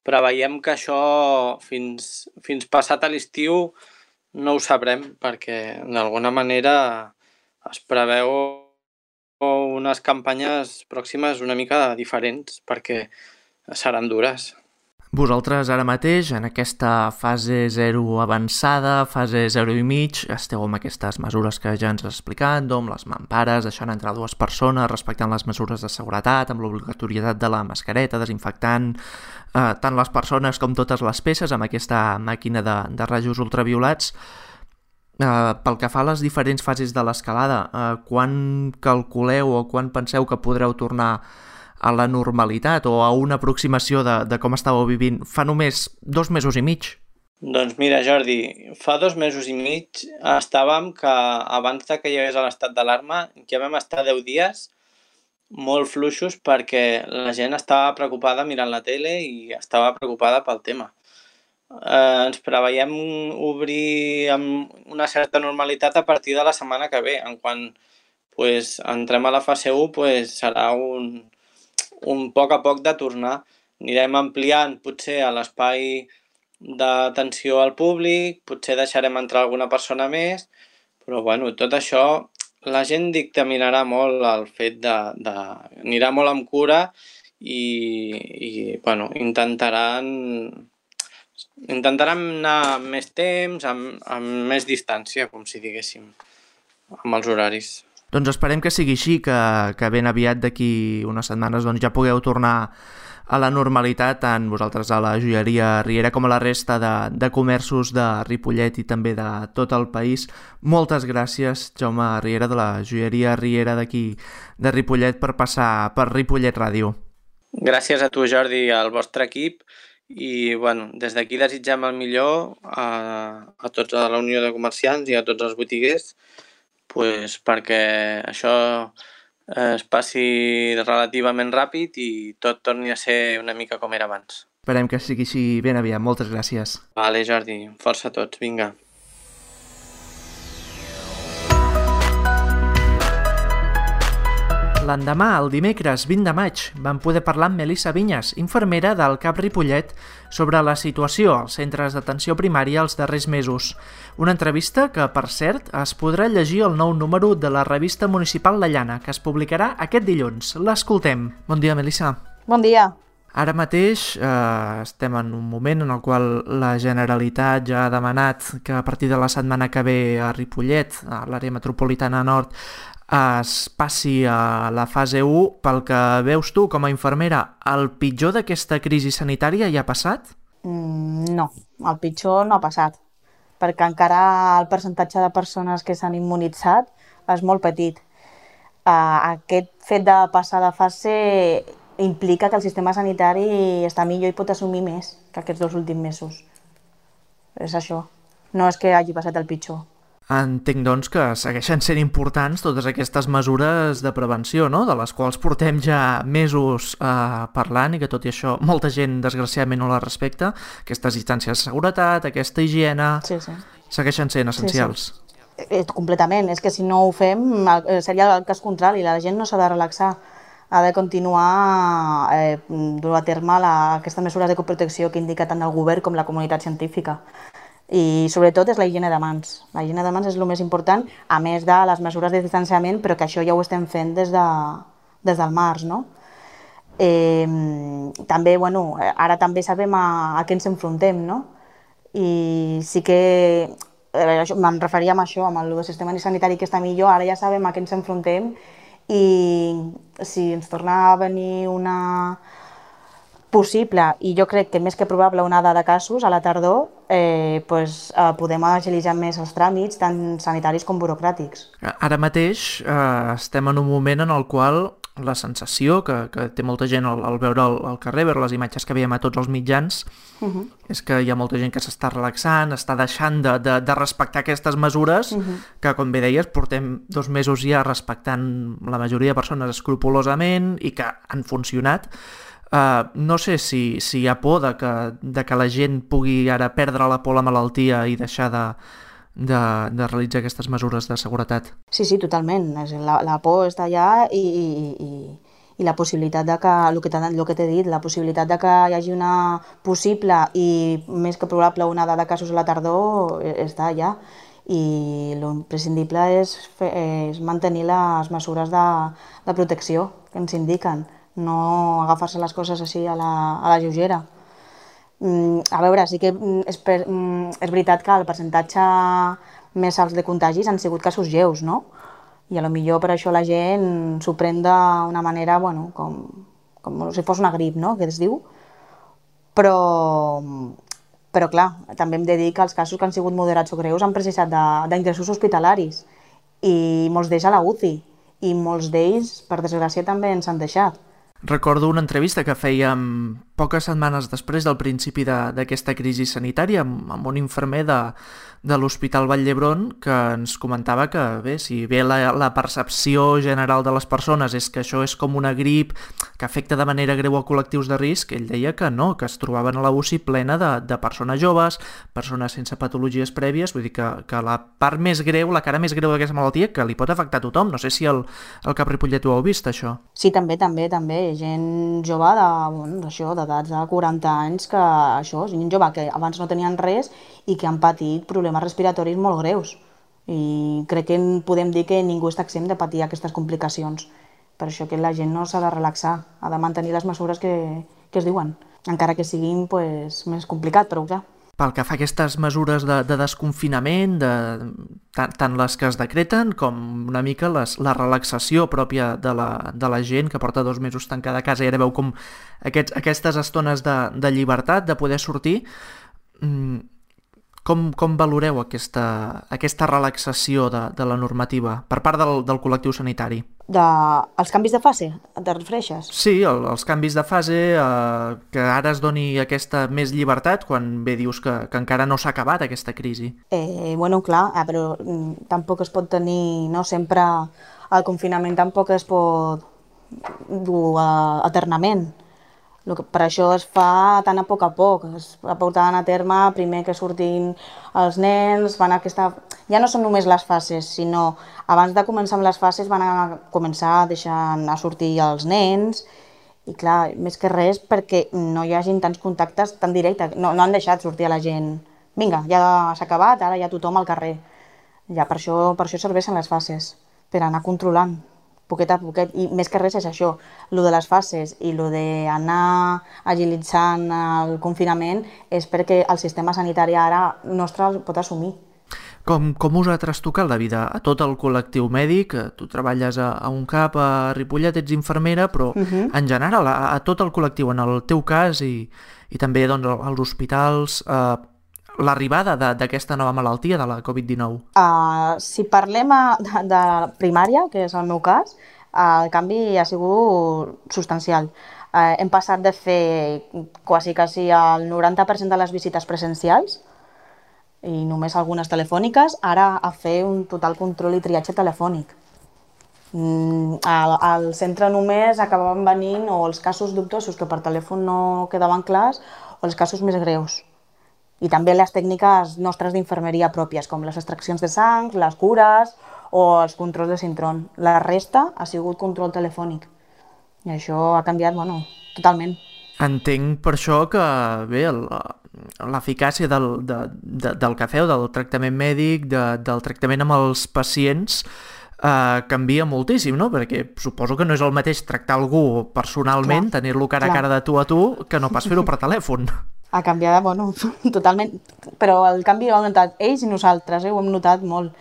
preveiem que això fins, fins passat a l'estiu no ho sabrem, perquè d'alguna manera es preveu unes campanyes pròximes una mica diferents, perquè seran dures. Vosaltres ara mateix, en aquesta fase zero avançada, fase zero i mig, esteu amb aquestes mesures que ja ens has explicat, amb les mampares, deixant entrar dues persones, respectant les mesures de seguretat, amb l'obligatorietat de la mascareta, desinfectant eh, tant les persones com totes les peces, amb aquesta màquina de, de rajos ultraviolats. Eh, pel que fa a les diferents fases de l'escalada, eh, quan calculeu o quan penseu que podreu tornar a la normalitat o a una aproximació de, de com estàveu vivint fa només dos mesos i mig? Doncs mira, Jordi, fa dos mesos i mig estàvem que abans de que hi hagués l'estat d'alarma ja vam estar deu dies molt fluixos perquè la gent estava preocupada mirant la tele i estava preocupada pel tema. Eh, ens preveiem obrir amb una certa normalitat a partir de la setmana que ve. En quan pues, entrem a la fase u pues, serà un... un poc a poc de tornar. Anirem ampliant potser a l'espai d'atenció al públic, potser deixarem entrar alguna persona més, però bueno, tot això la gent dictaminarà molt el fet de... de anirà molt amb cura i, i bueno, intentaran, intentaran anar amb més temps, amb, amb més distància, com si diguéssim, amb els horaris. Doncs esperem que sigui així, que, que ben aviat d'aquí unes setmanes doncs, ja pugueu tornar a la normalitat, tant vosaltres a la joieria Riera com a la resta de, de comerços de Ripollet i també de tot el país. Moltes gràcies, Jaume Riera, de la joieria Riera d'aquí de Ripollet, per passar per Ripollet Ràdio. Gràcies a tu, Jordi, i al vostre equip, i bueno, des d'aquí desitgem el millor a, a tots a la Unió de Comerciants i a tots els botiguers, pues, perquè això es passi relativament ràpid i tot torni a ser una mica com era abans. Esperem que sigui així ben aviat. Moltes gràcies. Vale, Jordi. Força a tots. Vinga. L'endemà, el dimecres vint de maig, vam poder parlar amb Melissa Vinyes, infermera del CAP Ripollet, sobre la situació als centres d'atenció primària els darrers mesos. Una entrevista que, per cert, es podrà llegir al nou número de la revista municipal La Llana, que es publicarà aquest dilluns. L'escoltem. Bon dia, Melissa. Bon dia. Ara mateix eh, estem en un moment en el qual la Generalitat ja ha demanat que a partir de la setmana que ve a Ripollet, a l'àrea metropolitana nord, es passi a la fase u. Pel que veus tu com a infermera, el pitjor d'aquesta crisi sanitària ja ha passat? Mm, no, el pitjor no ha passat, perquè encara el percentatge de persones que s'han immunitzat és molt petit. Uh, aquest fet de passar de fase implica que el sistema sanitari està millor i pot assumir més que aquests dos últims mesos. És això, no és que hagi passat el pitjor. Entenc, doncs, que segueixen sent importants totes aquestes mesures de prevenció, no?, de les quals portem ja mesos eh, parlant i que, tot i això, molta gent, desgraciadament, no la respecta. Aquestes distàncies de seguretat, aquesta higiene, sí, sí. segueixen sent essencials. Sí, sí. Completament. És que si no ho fem seria el cas contrari. La gent no s'ha de relaxar. Ha de continuar eh, dur a terme la, aquestes mesures de protecció que indica tant el govern com la comunitat científica. I sobretot és la higiene de mans. La higiene de mans és el més important, a més de les mesures de distanciament, però que això ja ho estem fent des, de, des del març, no? Eh, també, bueno, ara també sabem a, a què ens enfrontem, no? I sí que eh, me'n referia a això, amb el sistema sanitari que està millor, ara ja sabem a què ens enfrontem i si ens torna a venir una possible, i jo crec que més que probable, onada de casos a la tardor, eh, pues, eh, podem agilitzar més els tràmits, tant sanitaris com burocràtics. Ara mateix eh, estem en un moment en el qual la sensació que, que té molta gent al, al veure el, el carrer, veure les imatges que veiem a tots els mitjans, uh-huh. és que hi ha molta gent que s'està relaxant, està deixant de, de, de respectar aquestes mesures, uh-huh. que, com bé deies, portem dos mesos ja respectant la majoria de persones escrupolosament i que han funcionat. Uh, no sé si, si hi ha por de que, de que la gent pugui ara perdre la por a la malaltia i deixar de, de, de realitzar aquestes mesures de seguretat. Sí, sí, totalment. La, la por està allà i, i, i, i la possibilitat de que, el que, el que t'he dit, la possibilitat de que hi hagi una possible i més que probable onada de casos a la tardor està allà. I l'imprescindible és, fer, és mantenir les mesures de, de protecció que ens indiquen. No agafar-se les coses així a la, a la lleugera. Mm, a veure, sí que és, per, mm, és veritat que el percentatge més alt de contagis han sigut casos lleus, no? I a lo millor per això la gent s'ho pren d'una manera, bueno, com, com si fos una grip, no?, que es diu. Però, però clar, també hem de dir que els casos que han sigut moderats o greus han precisat d'ingressos hospitalaris i molts d'ells a la U C I, i molts d'ells, per desgràcia, també ens han deixat. Recordo una entrevista que fèiem poques setmanes després del principi d'aquesta crisi sanitària amb, amb un infermer de, de l'Hospital Vall d'Hebron que ens comentava que, bé, si bé la, la percepció general de les persones és que això és com una grip que afecta de manera greu a col·lectius de risc, ell deia que no, que es trobaven a la U C I plena de, de persones joves, persones sense patologies prèvies, vull dir que, que la part més greu, la cara més greu d'aquesta malaltia, que li pot afectar a tothom. No sé si el, el Cap Ripollet ho heu vist, això. Sí, també, també, també. gent jove de, bueno, això, d'edats de quaranta anys, que això, gent jove que abans no tenien res i que han patit problemes respiratoris molt greus. I crec que podem dir que ningú està exempt de patir aquestes complicacions. Per això que la gent no s'ha de relaxar, ha de mantenir les mesures que, que es diuen, encara que siguin pues, més complicat, però clar. Pel que fa a aquestes mesures de, de desconfinament, de, tant, tant les que es decreten com una mica les, la relaxació pròpia de la, de la gent que porta dos mesos tancada a casa i ara veu com aquests, aquestes estones de, de llibertat, de poder sortir, mmm, Com, com valoreu aquesta, aquesta relaxació de, de la normativa per part del, del col·lectiu sanitari? De, els canvis de fase? Te refereixes? Sí, el, els canvis de fase, eh, que ara es doni aquesta més llibertat quan bé dius que, que encara no s'ha acabat aquesta crisi. Eh, bueno, clar, eh, però mm, tampoc es pot tenir, no sempre el confinament tampoc es pot dur uh, eternament. Lo que, per això es fa tan a poc a poc, es va portant a terme primer que surtin els nens, van a aquesta... ja no són només les fases, sinó abans de començar amb les fases van a començar deixant a sortir els nens i clar, més que res perquè no hi hagin tants contactes tan directes, no, no han deixat sortir a la gent, vinga, ja s'ha acabat, ara ja tothom al carrer. Ja per això, per això serveixen les fases, per anar controlant poquet a poquet, i més que res és això, lo de les fases i lo d'anar agilitzant el confinament és perquè el sistema sanitari ara nostre el pot assumir. Com, com us ha trastocat la vida a tot el col·lectiu mèdic? Tu treballes a, a un cap a Ripollet, ets infermera, però uh -huh. en general a, a tot el col·lectiu, en el teu cas i, i també doncs, als hospitals, eh, l'arribada d'aquesta nova malaltia, de la covid dinou? Uh, si parlem a, de, de primària, que és el meu cas, uh, el canvi ha sigut substancial. Uh, hem passat de fer quasi, quasi el noranta per cent de les visites presencials i només algunes telefòniques, ara a fer un total control i triatge telefònic. Mm, al, al centre només acabaven venint o els casos dubtosos que per telèfon no quedaven clars o els casos més greus. I també les tècniques nostres d'infermeria pròpies, com les extraccions de sang, les cures o els controls de sintron. La resta ha sigut control telefònic. I això ha canviat, bueno, totalment. Entenc per això que, bé, l'eficàcia del, de, de, del que feu, del tractament mèdic, de, del tractament amb els pacients, eh, canvia moltíssim, no? Perquè suposo que no és el mateix tractar algú personalment, tenir-lo cara clar. a cara de tu a tu, que no pas fer-ho per telèfon. Ha canviat, bueno, totalment, però el canvi ho hem notat ells i nosaltres, eh, ho hem notat molt.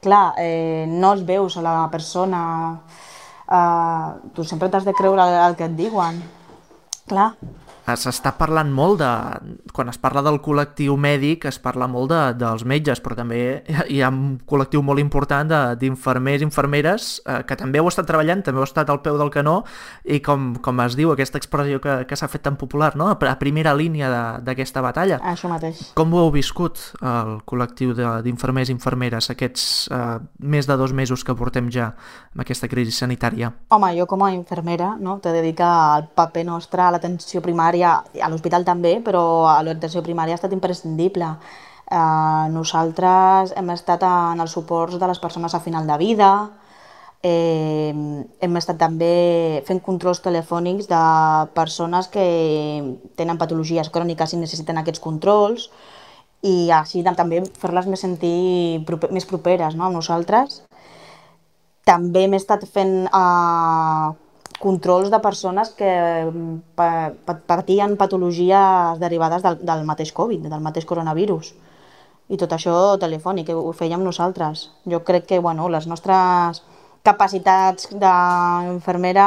Clar, eh, no els veus a la persona, eh, tu sempre t'has de creure el, el que et diuen, clar. S'està parlant molt de... Quan es parla del col·lectiu mèdic es parla molt de, dels metges, però també hi ha un col·lectiu molt important d'infermers i infermeres eh, que també heu estat treballant, també heu estat al peu del canó i com, com es diu aquesta expressió que, que s'ha fet tan popular, no? A primera línia d'aquesta batalla. Això mateix. Com ho heu viscut, el col·lectiu d'infermers i infermeres, aquests eh, més de dos mesos que portem ja amb aquesta crisi sanitària? Home, jo com a infermera, no, te dedica al paper nostre a l'atenció primària, a l'hospital també, però a l'atenció primària ha estat imprescindible. Eh, nosaltres hem estat en els suports de les persones a final de vida, eh, hem estat també fent controls telefònics de persones que tenen patologies cròniques i necessiten aquests controls i així també fer-les més sentir més properes, no, a nosaltres. També hem estat fent eh, controls de persones que patien patologies derivades del, del mateix Covid, del mateix coronavirus. I tot això telefònic, ho fèiem nosaltres. Jo crec que bueno, les nostres capacitats d'infermera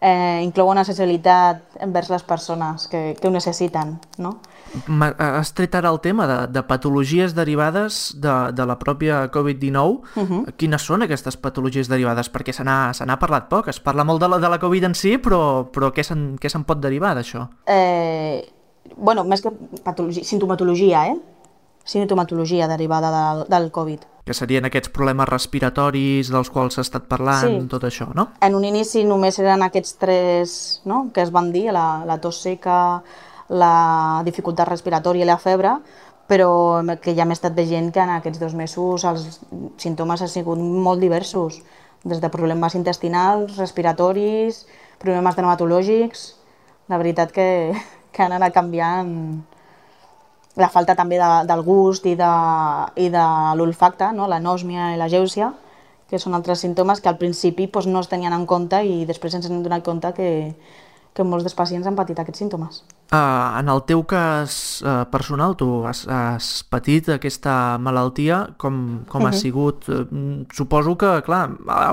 eh, inclouen una sensibilitat envers les persones que, que ho necessiten, no? Has tret ara el tema de, de patologies derivades de, de la pròpia covid dinou. Uh-huh. Quines són aquestes patologies derivades? Perquè se n'ha parlat poc, es parla molt de la, de la Covid en si, però, però què se'n pot derivar d'això? Eh, bueno, més que patologia, sintomatologia, eh? Sintomatologia derivada de, del Covid. Que serien aquests problemes respiratoris dels quals s'ha estat parlant, sí. Tot això, no? En un inici només eren aquests tres, no?, que es van dir, la, la tos seca, la dificultat respiratòria i la febre, però que ja hem estat veient que en aquests dos mesos els símptomes han sigut molt diversos, des de problemes intestinals, respiratoris, problemes dermatològics, la veritat que, que han anat canviant la falta també de, del gust i de, i de l'olfacte, no? L'anòsmia i la gèusia, que són altres símptomes que al principi doncs, no es tenien en compte i després ens hem donat compte que, que molts dels pacients han patit aquests símptomes. Uh, en el teu cas uh, personal, tu has, has patit aquesta malaltia, com, com uh-huh. ha sigut? Uh, suposo que, clar,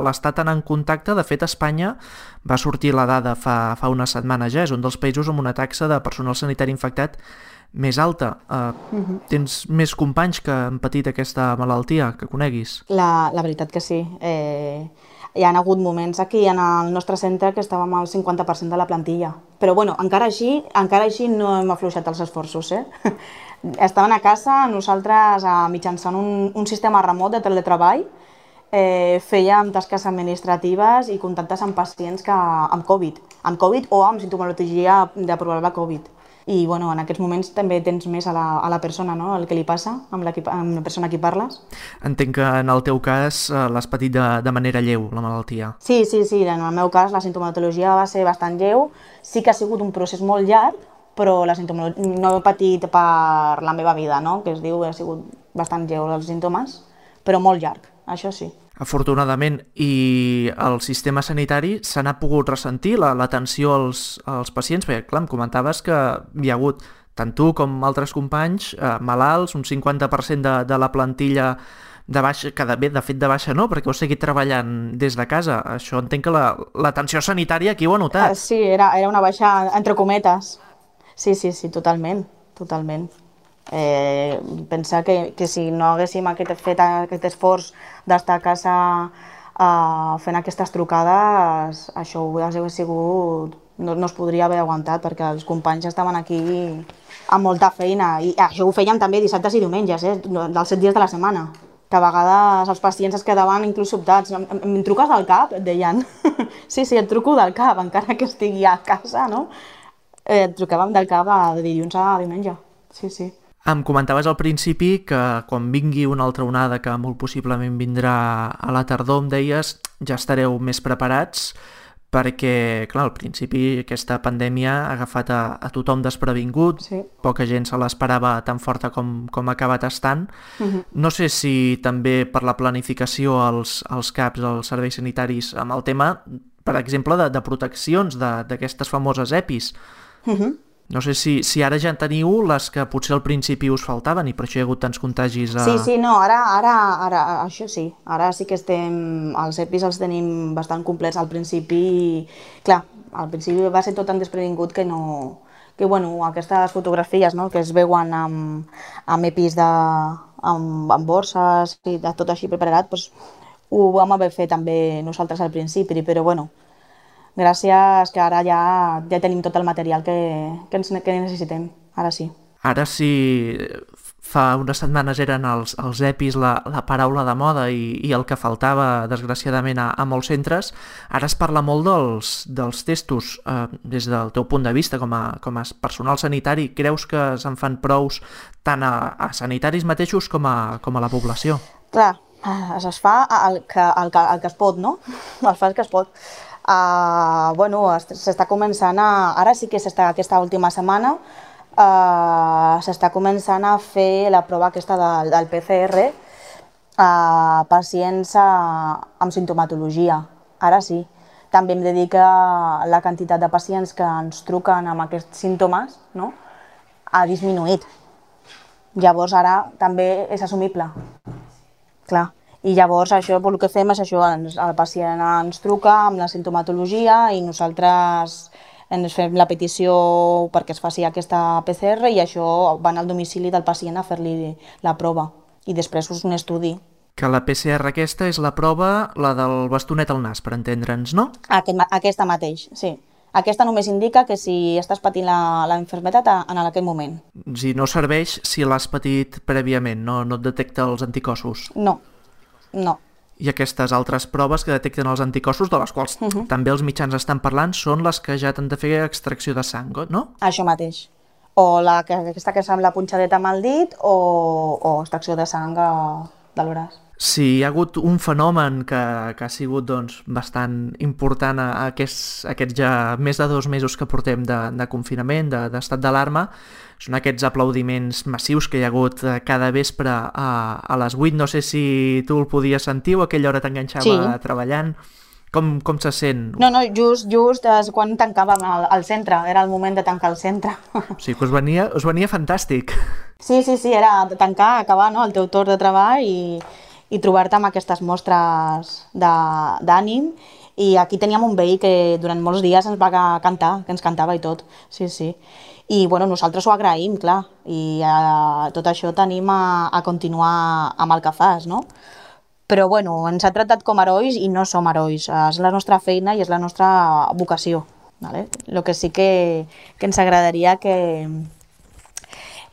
l'estar tan en contacte, de fet, a Espanya va sortir la dada fa, fa unes setmanes ja, és un dels països amb una taxa de personal sanitari infectat més alta. Uh, uh-huh. Tens més companys que han patit aquesta malaltia, que coneguis? La, la veritat que sí. Eh, hi ha hagut moments aquí en el nostre centre que estàvem al cinquanta per cent de la plantilla. Però bueno, encara així, encara així no hem afluixat els esforços. Eh? Estaven a casa, nosaltres eh, mitjançant un, un sistema remot de teletreball, eh, fèiem tasques administratives i contactes amb pacients que, amb Covid, amb Covid o amb sintomatologia de probable Covid. I bueno, en aquests moments també tens més a la, a la persona, no? El que li passa amb la, amb la persona a qui parles. Entenc que en el teu cas eh, l'has patit de, de manera lleu, la malaltia. Sí, sí, sí, en el meu cas la sintomatologia va ser bastant lleu. Sí que ha sigut un procés molt llarg, però la sintomatologia no he patit per la meva vida, no? Que es diu, ha sigut bastant lleu els símptomes, però molt llarg, això sí. Afortunadament, i el sistema sanitari se n'ha pogut ressentir l'atenció als, als pacients, perquè clar, em comentaves que hi ha hagut tant tu com altres companys eh, malalts, un cinquanta per cent de, de la plantilla de baixa, que de, bé, de fet de baixa no, perquè heu seguit treballant des de casa. Això entenc que l'atenció la, sanitària aquí ho ha notat. Uh, sí, era, era una baixa entre cometes. Sí, sí, sí, totalment, totalment. Eh, pensar que, que si no haguéssim aquest, fet aquest esforç d'estar a casa eh, fent aquestes trucades, això hauria sigut, no, no es podria haver aguantat perquè els companys estaven aquí amb molta feina i això ho fèiem també dissabtes i diumenges, eh, dels set dies de la setmana, que a vegades els pacients es quedaven inclús sobtats. Em, em, em truques del cap? Et deien. Sí, sí, et truco del cap, encara que estigui a casa, no? Eh, et trucàvem del cap de dilluns a diumenge, sí, sí. Em comentaves al principi que quan vingui una altra onada, que molt possiblement vindrà a la tardor, em deies, ja estareu més preparats perquè, clar, al principi aquesta pandèmia ha agafat a, a tothom desprevingut, sí. Poca gent se l'esperava tan forta com, com ha acabat estant. Uh-huh. No sé si també per la planificació als, als CAPs, als serveis sanitaris, amb el tema, per exemple, de, de proteccions d'aquestes famoses EPIs. Uh-huh. No sé si, si ara ja en teniu les que potser al principi us faltaven i per això hi ha hagut tants contagis. A... Sí, sí, no, ara, ara, ara, això sí, ara sí que estem, els EPIs els tenim bastant complets al principi, clar, al principi va ser tot tan desprevingut que no, que bueno, aquestes fotografies, no, que es veuen amb, amb EPIs de, amb, amb borses i de tot així preparat, doncs ho vam haver fet també nosaltres al principi, però bueno, gràcies que ara ja, ja tenim tot el material que, que, ens, que necessitem, ara sí. Ara sí, fa unes setmanes eren els, els EPIs la, la paraula de moda i, i el que faltava, desgraciadament, a, a molts centres, ara es parla molt dels, dels testos. Eh, des del teu punt de vista, com a, com a personal sanitari, creus que se'n fan prous tant a, a sanitaris mateixos com a, com a la població? Clar, es fa el que, el, que, el que es pot, no? El fa el que es pot. Uh, bueno, s'està començant a... Ara sí que s'està, aquesta última setmana, uh, s'està començant a fer la prova aquesta de, del P C R a pacients uh, amb sintomatologia. Ara sí. També hem de dir que la quantitat de pacients que ens truquen amb aquests símptomes, no, ha disminuït. Llavors ara també és assumible. Clar. I llavors això, el que fem és això, ens, el pacient ens truca amb la sintomatologia i nosaltres ens fem la petició perquè es faci aquesta P C R i això van al domicili del pacient a fer-li la prova i després és un estudi. Que la P C R aquesta és la prova, la del bastonet al nas, per entendre'ns, no? Aquest, aquesta mateix, sí. Aquesta només indica que si estàs patint la, la infermetat en aquest moment. Si no serveix si l'has patit prèviament, no, no et detecta els anticossos? No. No. I aquestes altres proves que detecten els anticossos, de les quals uh-huh. també els mitjans estan parlant, són les que ja t'han de fer extracció de sang, no? Això mateix. O la, aquesta que sembla punxadeta amb el dit o, o extracció de sang de l'oràs. Sí, hi ha hagut un fenomen que, que ha sigut doncs, bastant important a, a aquests, aquests ja més de dos mesos que portem de, de confinament, de, d'estat d'alarma. Són aquests aplaudiments massius que hi ha hagut cada vespre a, a les vuit. No sé si tu el podies sentir o a aquella hora t'enganxava Sí. treballant. Com, com se sent? No, no, just, just és quan tancàvem el, el centre, era el moment de tancar el centre. O sigui que us venia, us venia fantàstic. Sí, sí, sí, era tancar, acabar, no?, el teu torn de treball i, i trobar-te amb aquestes mostres de- d'ànim. I aquí teníem un veí que durant molts dies ens va ca- cantar, que ens cantava i tot, sí, sí. I bueno, nosaltres ho agraïm, clar, i eh, tot això tenim a, a continuar amb el que fas, no? Però bueno, ens ha tractat com herois i no som herois, és la nostra feina i és la nostra vocació. Vale? El que sí que, que ens agradaria que,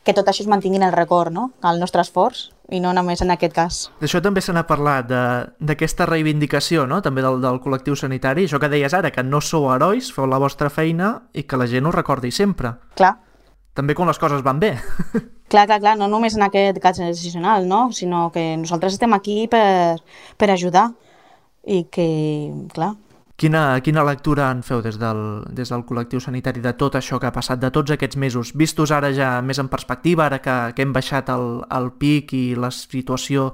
que tot això es mantingui en el record, no? El nostre esforç, i no només en aquest cas. D'això també se n'ha parlat, de- d'aquesta reivindicació, no? També del, del col·lectiu sanitari. Això que deies ara, que no sou herois, feu la vostra feina i que la gent ho recordi sempre. Clar, També quan les coses van bé. clar, clar, clar, no només en aquest cas excepcional, no? Sinó que nosaltres estem aquí per, per ajudar i que, clar, Quina, quina lectura en feu des del, des del col·lectiu sanitari de tot això que ha passat, de tots aquests mesos? Vistos ara ja més en perspectiva, ara que, que hem baixat el, el pic i la situació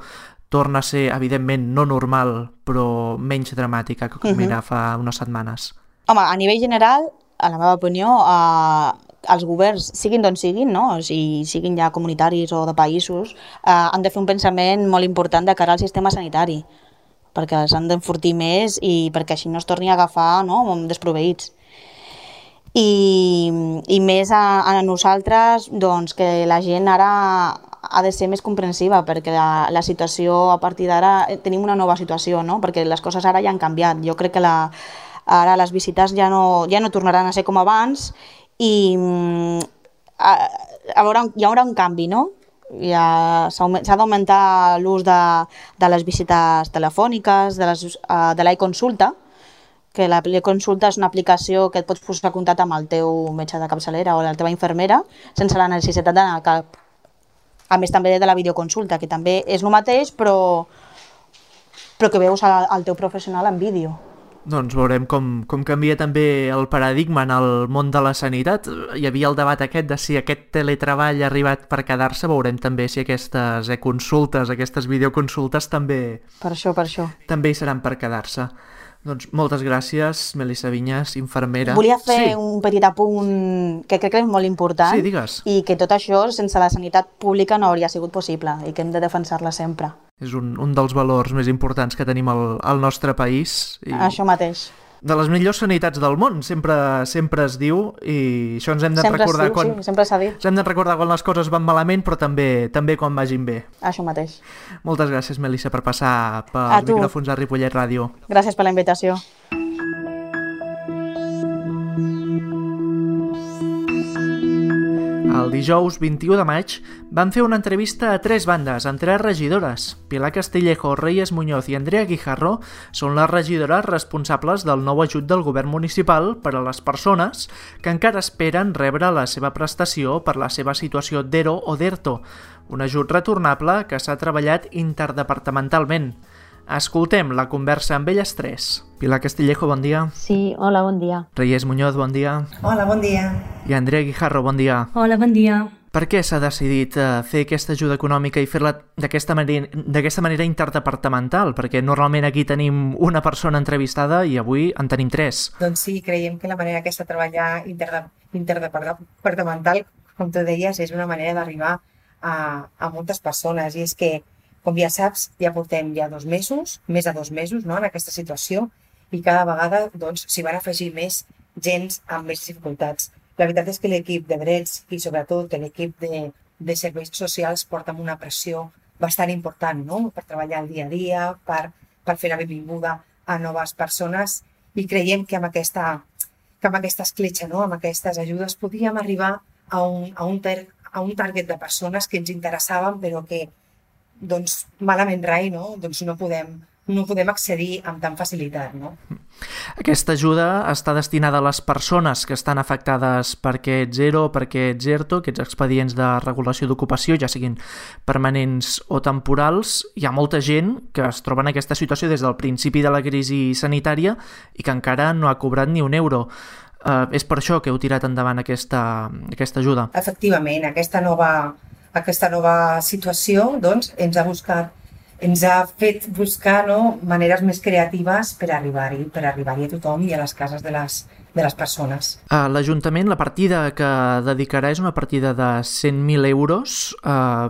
torna a ser, evidentment, no normal, però menys dramàtica que com era fa unes setmanes. home, a nivell general, a la meva opinió, eh, els governs, siguin d'on siguin, no? O sigui, siguin ja comunitaris o de països, eh, han de fer un pensament molt important de cara al sistema sanitari, perquè s'han d'enfortir més i perquè així no es torni a agafar, no?, desproveïts. I, i més a, a nosaltres, doncs, que la gent ara ha de ser més comprensiva, perquè la, la situació, a partir d'ara, eh, tenim una nova situació, no?, perquè les coses ara ja han canviat. Jo crec que la, ara les visites ja no, ja no tornaran a ser com abans i mm, a, a veure, hi haurà un canvi, no? Ja s'ha aumen- s'ha d'augmentar l'ús de, de les visites telefòniques, de les, eh, de l'e-consulta, que la consulta és una aplicació que et pots posar en contacte amb el teu metge de capçalera o la teva infermera sense la necessitat d'anar a cap. A més també de la videoconsulta, que també és el mateix, però, però que veus el, el teu professional en vídeo. Doncs veurem com, com canvia també el paradigma en el món de la sanitat. Hi havia el debat aquest de si aquest teletreball ha arribat per quedar-se. Veurem també si aquestes e-consultes, aquestes videoconsultes també, Per això, per això. també hi seran per quedar-se. Doncs moltes gràcies, Melissa Vinyes, infermera. Volia fer sí. un petit apunt que crec que és molt important Sí, digues. i que tot això sense la sanitat pública no hauria sigut possible i que hem de defensar-la sempre. És un, un dels valors més importants que tenim al, al nostre país. I Això mateix. de les millors sanitats del món, sempre sempre es diu, i això ens hem de Sempre es recordar diu, quan... sí, sempre s'ha dit. Ens hem de recordar quan les coses van malament, però també també quan vagin bé. Això mateix. Moltes gràcies, Melissa, per passar per A tu. micròfons a Ripollet Ràdio. Gràcies per la invitació. El dijous vint-i-u de maig van fer una entrevista a tres bandes amb tres regidores. Pilar Castillejo, Reyes Muñoz i Andrea Guijarro són les regidores responsables del nou ajut del govern municipal per a les persones que encara esperen rebre la seva prestació per la seva situació d'ERO o d'ERTO, un ajut retornable que s'ha treballat interdepartamentalment. Escoltem la conversa amb elles tres. Pilar Castillejo, bon dia. Sí, hola, bon dia. Reyes Muñoz, bon dia. Hola, bon dia. I Andrea Guijarro, bon dia. Hola, bon dia. Per què s'ha decidit eh, fer aquesta ajuda econòmica i fer-la d'aquesta manera, d'aquesta manera interdepartamental? Perquè normalment aquí tenim una persona entrevistada i avui en tenim tres. Doncs sí, creiem que la manera aquesta de treballar interde interdepartamental, com tu deies, és una manera d'arribar a, a moltes persones. I és que, com ja saps, ja portem ja dos mesos, més de dos mesos, no?, en aquesta situació, i cada vegada doncs, s'hi van afegir més gens amb més dificultats. La veritat és que l'equip de drets i sobretot l'equip de, de serveis socials porta amb una pressió bastant important, no?, per treballar el dia a dia, per, per fer la benvinguda a noves persones, i creiem que amb aquesta, que amb aquesta escletxa, no?, amb aquestes ajudes, podíem arribar a un, a un, ter, a un target de persones que ens interessaven, però que doncs, malament rai, no? Doncs no podem no podem accedir amb tan facilitat, no? Aquesta ajuda està destinada a les persones que estan afectades per aquests E R O, per aquests E R T O, aquests expedients de regulació d'ocupació, ja siguin permanents o temporals. Hi ha molta gent que es troba en aquesta situació des del principi de la crisi sanitària i que encara no ha cobrat ni un euro. Uh, és per això que heu tirat endavant aquesta, aquesta ajuda. Efectivament, aquesta nova, aquesta nova situació doncs, ens ha buscat ens ha fet buscar, no, maneres més creatives per arribar-hi, per arribar-hi a tothom i a les cases de les, de les persones. Uh, L'Ajuntament, la partida que dedicarà és una partida de cent mil euros, uh,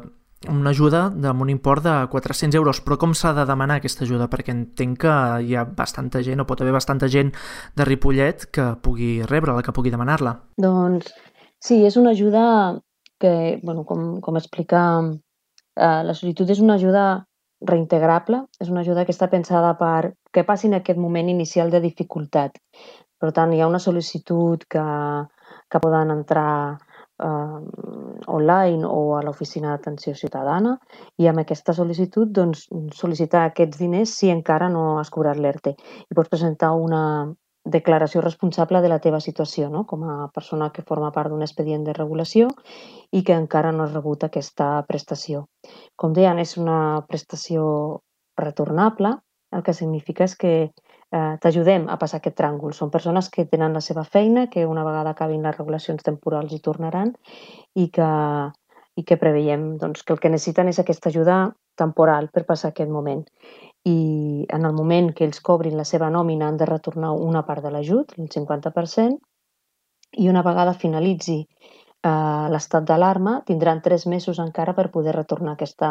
una ajuda amb un import de quatre-cents euros. Però com s'ha de demanar aquesta ajuda? Perquè entenc que hi ha bastanta gent, o pot haver bastanta gent de Ripollet que pugui rebre-la, que pugui demanar-la. Doncs sí, és una ajuda que, bueno, com, com explica, uh, la solitud és una ajuda reintegrable, és una ajuda que està pensada per que passi en aquest moment inicial de dificultat. Per tant, hi ha una sol·licitud que, que poden entrar eh, online o a l'oficina d'atenció ciutadana i amb aquesta sol·licitud doncs, sol·licitar aquests diners si encara no has cobrat l'E R T E. I pots presentar una declaració responsable de la teva situació, no? Com a persona que forma part d'un expedient de regulació i que encara no has rebut aquesta prestació. Com deien, és una prestació retornable, el que significa és que eh, t'ajudem a passar aquest tràngol. Són persones que tenen la seva feina, que una vegada acabin les regulacions temporals hi tornaran i que, i que preveiem doncs, que el que necessiten és aquesta ajuda temporal per passar aquest moment. I en el moment que ells cobrin la seva nòmina han de retornar una part de l'ajut, el cinquanta per cent, i una vegada finalitzi eh, l'estat d'alarma tindran tres mesos encara per poder retornar aquesta,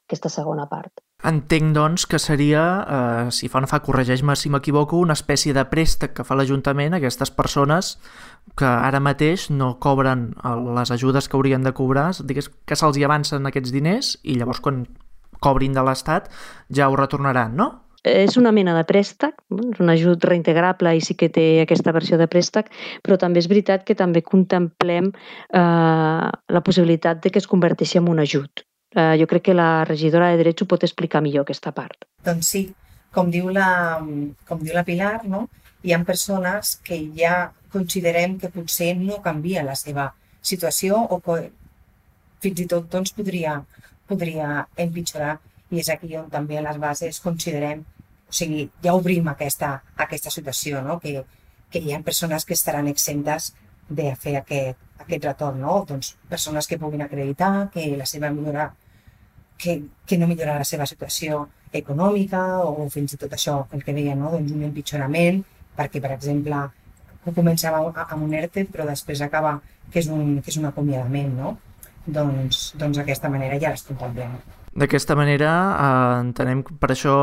aquesta segona part. Entenc, doncs, que seria, eh, si fa o no fa, corregeix-me si m'equivoco, una espècie de préstec que fa l'Ajuntament a aquestes persones que ara mateix no cobren les ajudes que haurien de cobrar, digués que se'ls hi avancen aquests diners i llavors quan cobrin de l'Estat ja ho retornaran, no? És una mena de préstec, és un ajut reintegrable i sí que té aquesta versió de préstec, però també és veritat que també contemplem eh, la possibilitat de que es converteixi en un ajut. Eh, jo crec que la regidora de Drets ho pot explicar millor, aquesta part. Doncs sí, com diu la, com diu la Pilar, no? Hi ha persones que ja considerem que potser no canvia la seva situació o que fins i tot doncs, podria, podria empitjorar. I és aquí on també a les bases considerem, o sigui, ja obrim aquesta, aquesta situació, no? que, que hi ha persones que estaran exemptes de fer aquest, aquest retorn, no? Doncs persones que puguin acreditar que la seva millora, que, que no millora la seva situació econòmica o fins i tot això, el que deia, no? Doncs un empitjorament, perquè, per exemple, començava amb un E R T E, però després acaba que és un, que és un acomiadament, no? Doncs, doncs d'aquesta manera ja les contemplem. D'aquesta manera eh, entenem, per això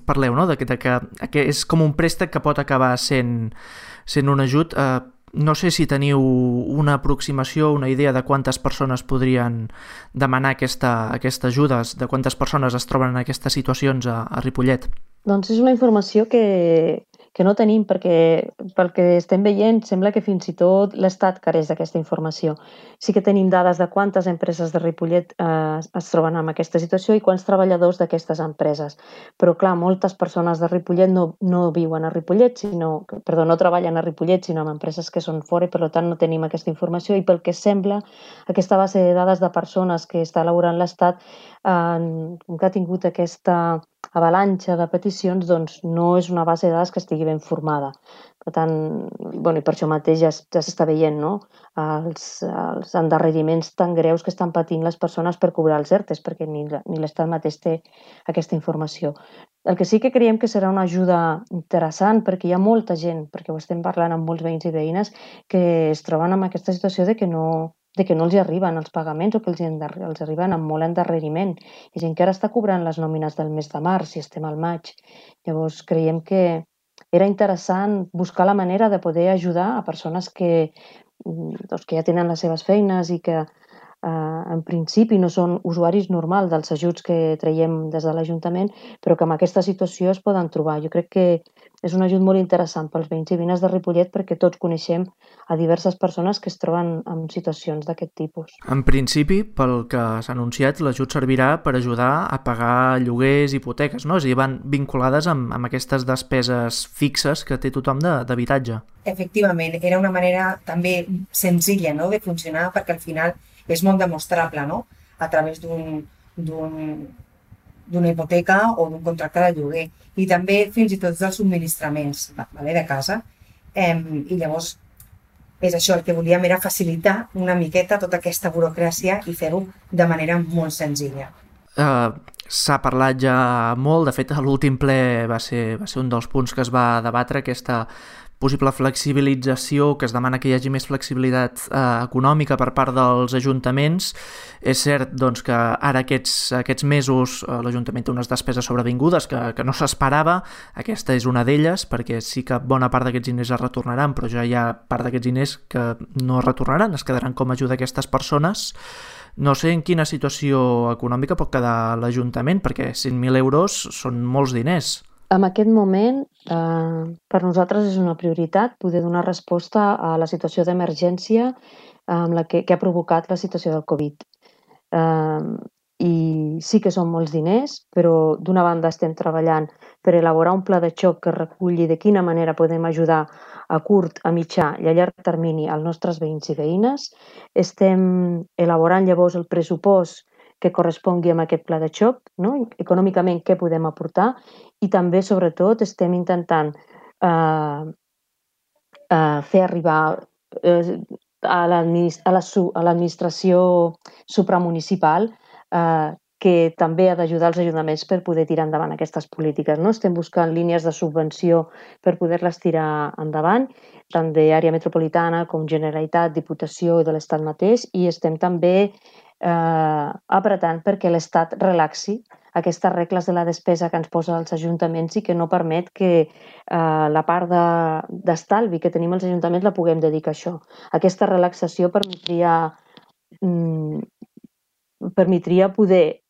parleu, no? De que, de que, que és com un préstec que pot acabar sent, sent un ajut. Eh, no sé si teniu una aproximació, una idea de quantes persones podrien demanar aquesta, aquesta ajuda, de quantes persones es troben en aquestes situacions a, a Ripollet. Doncs és una informació que, que no tenim perquè pel que estem veient sembla que fins i tot l'Estat careix d'aquesta informació. Sí que tenim dades de quantes empreses de Ripollet eh, es troben en aquesta situació i quants treballadors d'aquestes empreses. Però clar, moltes persones de Ripollet no, no viuen a Ripollet, sinó, perdó, no treballen a Ripollet, sinó en empreses que són fora i per tant no tenim aquesta informació i pel que sembla aquesta base de dades de persones que està elaborant l'Estat eh, que ha tingut aquesta avalanxa de peticions, doncs no és una base de dades que estigui ben formada. Per tant, bueno, i per això mateix ja, ja s'està veient, no? els, els endarreriments tan greus que estan patint les persones per cobrar els E R T Es, perquè ni, ni l'Estat mateix té aquesta informació. El que sí que creiem que serà una ajuda interessant, perquè hi ha molta gent, perquè ho estem parlant amb molts veïns i veïnes, que es troben en aquesta situació de que no, de que no els hi arriben els pagaments o que els, els arriben amb molt endarreriment. Hi ha gent que ara està cobrant les nòmines del mes de març i estem al maig. Llavors creiem que era interessant buscar la manera de poder ajudar a persones que, doncs, que ja tenen les seves feines i que eh, en principi no són usuaris normals dels ajuts que traiem des de l'Ajuntament, però que en aquesta situació es poden trobar. Jo crec que és un ajut molt interessant pels veïns i veïnes de Ripollet perquè tots coneixem a diverses persones que es troben en situacions d'aquest tipus. En principi, pel que s'ha anunciat, l'ajut servirà per ajudar a pagar lloguers, hipoteques, no? És a dir, van vinculades amb, amb aquestes despeses fixes que té tothom d'habitatge. Efectivament, era una manera també senzilla, no?, de funcionar, perquè al final és molt demostrable, no?, a través d'un d'una hipoteca o d'un contracte de lloguer, i també fins i tot dels subministraments, vale, de casa. Eh, I llavors és això, el que volíem era facilitar una miqueta tota aquesta burocràcia i fer-ho de manera molt senzilla. Uh, S'ha parlat ja molt, de fet a l'últim ple va ser, va ser un dels punts que es va debatre, aquesta possible flexibilització, que es demana que hi hagi més flexibilitat eh, econòmica per part dels ajuntaments. És cert doncs, que ara aquests, aquests mesos eh, l'Ajuntament té unes despeses sobrevingudes que, que no s'esperava. Aquesta és una d'elles, perquè sí que bona part d'aquests diners es retornaran, però ja hi ha part d'aquests diners que no es retornaran, es quedaran com a ajuda a aquestes persones. No sé en quina situació econòmica pot quedar l'Ajuntament, perquè cent mil euros són molts diners. En aquest moment, eh, per nosaltres és una prioritat poder donar resposta a la situació d'emergència amb la que, que ha provocat la situació del Covid. Eh, I sí que són molts diners, però d'una banda estem treballant per elaborar un pla de xoc que reculli de quina manera podem ajudar a curt, a mitjà i a llarg termini als nostres veïns i veïnes. Estem elaborant llavors el pressupost que correspongui amb aquest pla de xoc, no? Econòmicament què podem aportar, i també, sobretot, estem intentant eh, eh, fer arribar eh, a l'administració supramunicipal eh, que també ha d'ajudar els ajuntaments per poder tirar endavant aquestes polítiques. No? Estem buscant línies de subvenció per poder-les tirar endavant, tant d'àrea metropolitana com Generalitat, Diputació i de l'Estat mateix, i estem també Eh, apretant perquè l'Estat relaxi aquestes regles de la despesa que ens posa als ajuntaments i que no permet que eh, la part d'estalvi de, que tenim als ajuntaments la puguem dedicar a això. Aquesta relaxació permetria, mm, permetria poder,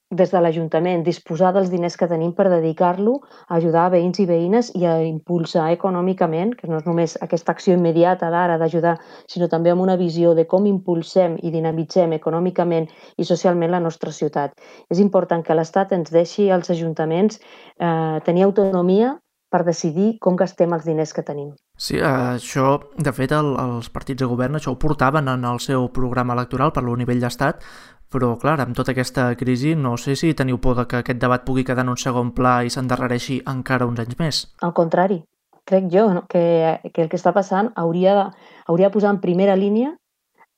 des de l'Ajuntament, disposar dels diners que tenim per dedicar-lo a ajudar a veïns i veïnes i a impulsar econòmicament, que no és només aquesta acció immediata d'ara d'ajudar, sinó també amb una visió de com impulsem i dinamitzem econòmicament i socialment la nostra ciutat. És important que l'Estat ens deixi als ajuntaments eh, tenir autonomia per decidir com gastem els diners que tenim. Sí, això, de fet, el, els partits de govern això ho portaven en el seu programa electoral per al nivell d'estat, però, clar, amb tota aquesta crisi no sé si teniu por de que aquest debat pugui quedar en un segon pla i s'endarrereixi encara uns anys més. Al contrari, crec jo no? que, que el que està passant hauria de, hauria de posar en primera línia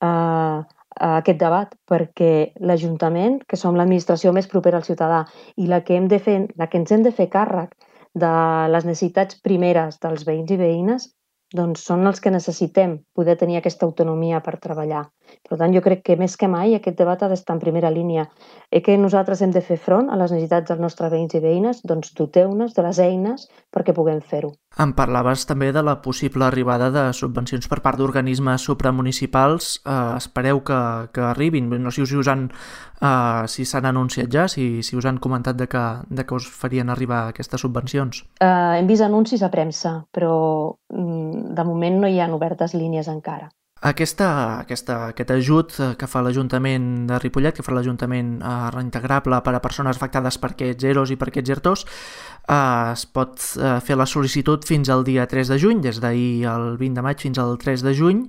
eh, aquest debat, perquè l'Ajuntament, que som l'administració més propera al ciutadà i la que, hem de fer, la que ens hem de fer càrrec de les necessitats primeres dels veïns i veïnes, doncs són els que necessitem poder tenir aquesta autonomia per treballar. Per tant, jo crec que més que mai aquest debat ha d'estar en primera línia. I que nosaltres hem de fer front a les necessitats dels nostres veïns i veïnes, doncs doteu-nos de les eines perquè puguem fer-ho. Em parlaves també de la possible arribada de subvencions per part d'organismes supramunicipals. Eh, espereu que, que arribin. No sé si us han eh, si s'han anunciat ja, si, si us han comentat de que, de que us farien arribar aquestes subvencions. Eh, hem vist anuncis a premsa, però mm, de moment no hi ha obertes línies encara. Aquesta, aquesta, aquest ajut que fa l'Ajuntament de Ripollet, que fa l'Ajuntament eh, reintegrable per a persones afectades per aquests E R Os i per aquests ERTOs, eh, es pot eh, fer la sol·licitud fins al dia tres de juny, des d'ahir el vint de maig fins al tres de juny,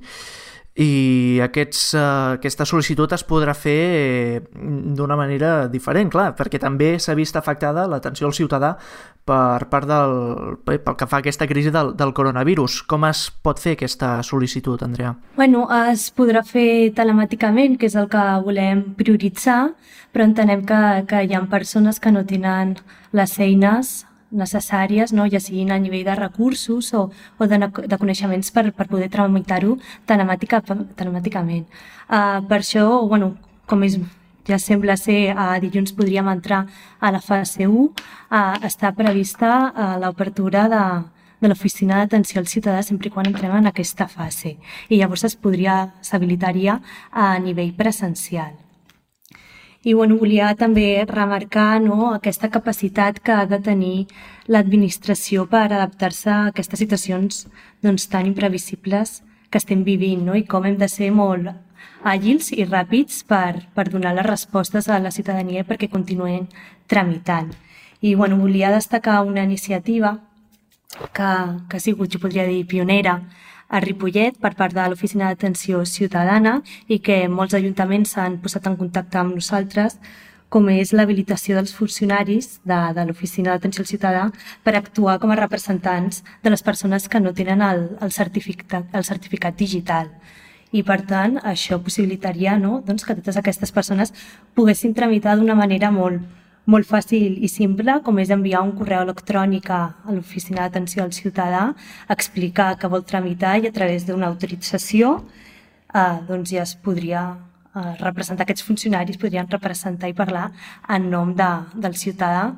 i aquests, eh, aquesta sol·licitud es podrà fer eh, d'una manera diferent, clar, perquè també s'ha vist afectada l'atenció al ciutadà per part del, pel que fa a aquesta crisi del, del coronavirus. Com es pot fer aquesta sol·licitud, Andrea? Bueno, es podrà fer telemàticament, que és el que volem prioritzar, però entenem que, que hi ha persones que no tenen les eines necessàries, no? Ja siguin a nivell de recursos o, o de, de coneixements per, per poder tramitar-ho telemàtica, telemàticament. Uh, per això, bueno, com és, ja sembla ser, uh, dilluns podríem entrar a la fase u, uh, està prevista uh, l'obertura de, de l'oficina d'atenció al ciutadà sempre quan entrem en aquesta fase. I llavors es podria, s'habilitaria a nivell presencial. I bueno, volia també remarcar, no, aquesta capacitat que ha de tenir l'administració per adaptar-se a aquestes situacions doncs, tan imprevisibles que estem vivint, no? I com hem de ser molt àgils i ràpids per, per donar les respostes a la ciutadania perquè continuïn tramitant. I bueno, volia destacar una iniciativa que, que ha sigut, jo podria dir, pionera a Ripollet per part de l'Oficina d'Atenció Ciutadana i que molts ajuntaments s'han posat en contacte amb nosaltres, com és l'habilitació dels funcionaris de, de l'Oficina d'Atenció al Ciutadà per actuar com a representants de les persones que no tenen el, el, certificat, el certificat digital. I, per tant, això possibilitaria, no, doncs, que totes aquestes persones poguessin tramitar d'una manera molt, molt fàcil i simple, com és enviar un correu electrònic a l'Oficina d'Atenció al Ciutadà, explicar que vol tramitar i a través d'una autorització eh, doncs ja es podria eh, representar, aquests funcionaris podrien representar i parlar en nom de, del ciutadà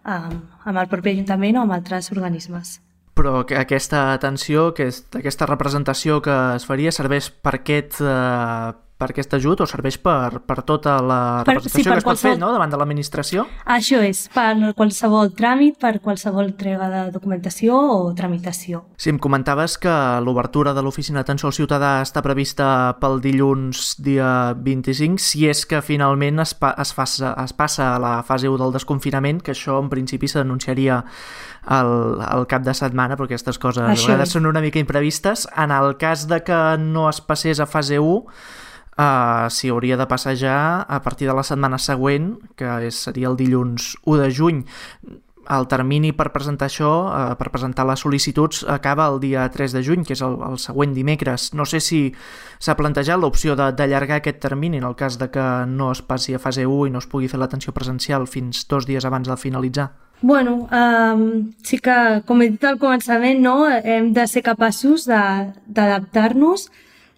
eh, amb el propi ajuntament o amb altres organismes. Però que aquesta atenció, que és, aquesta representació que es faria serveix per aquest... Eh... per aquest ajut o serveix per, per tota la representació per, sí, per que es pot qualsevol... fer, no?, davant de l'administració? Això és, per qualsevol tràmit, per qualsevol entrega de documentació o tramitació. Sí, em comentaves que l'obertura de l'Oficina d'Atenció al Ciutadà està prevista pel dilluns dia vint-i-cinc, si és que finalment es, pa, es, fa, es passa a la fase u del desconfinament, que això en principi s'anunciaria al, al cap de setmana, però aquestes coses a vegades són una mica imprevistes. En el cas de que no es passés a fase u, Uh, s'hi hauria de passar ja a partir de la setmana següent, que és, seria el dilluns u de juny. El termini per presentar això, uh, per presentar les sol·licituds, acaba el dia tres de juny, que és el, el següent dimecres. No sé si s'ha plantejat l'opció d'allargar aquest termini en el cas de que no es passi a fase u i no es pugui fer l'atenció presencial fins dos dies abans de finalitzar. Bueno, um, sí que, com he dit al començament, no, hem de ser capaços d'adaptar-nos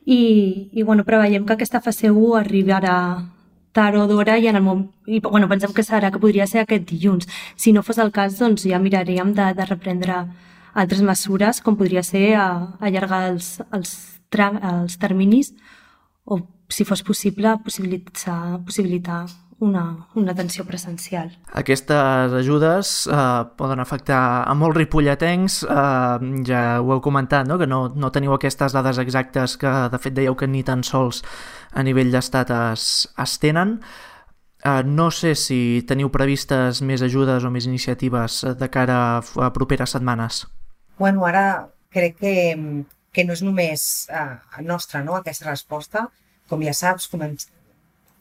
I, i bueno, preveiem que aquesta fase u arribarà tard o d'hora i, en el moment, i bueno, pensem que serà que podria ser aquest dilluns. Si no fos el cas, doncs ja miraríem de, de reprendre altres mesures, com podria ser a, allargar els, els, tram, els terminis o, si fos possible, possibilitar, possibilitar una, una atenció presencial. Aquestes ajudes eh, poden afectar a molts ripolletens, eh, ja ho heu comentat, no? Que no, no teniu aquestes dades exactes que de fet dèieu que ni tan sols a nivell d'estat es, es tenen. Eh, no sé si teniu previstes més ajudes o més iniciatives de cara a properes setmanes. Bueno, ara crec que, que no és només eh, nostra, no?, aquesta resposta. Com ja saps, començ,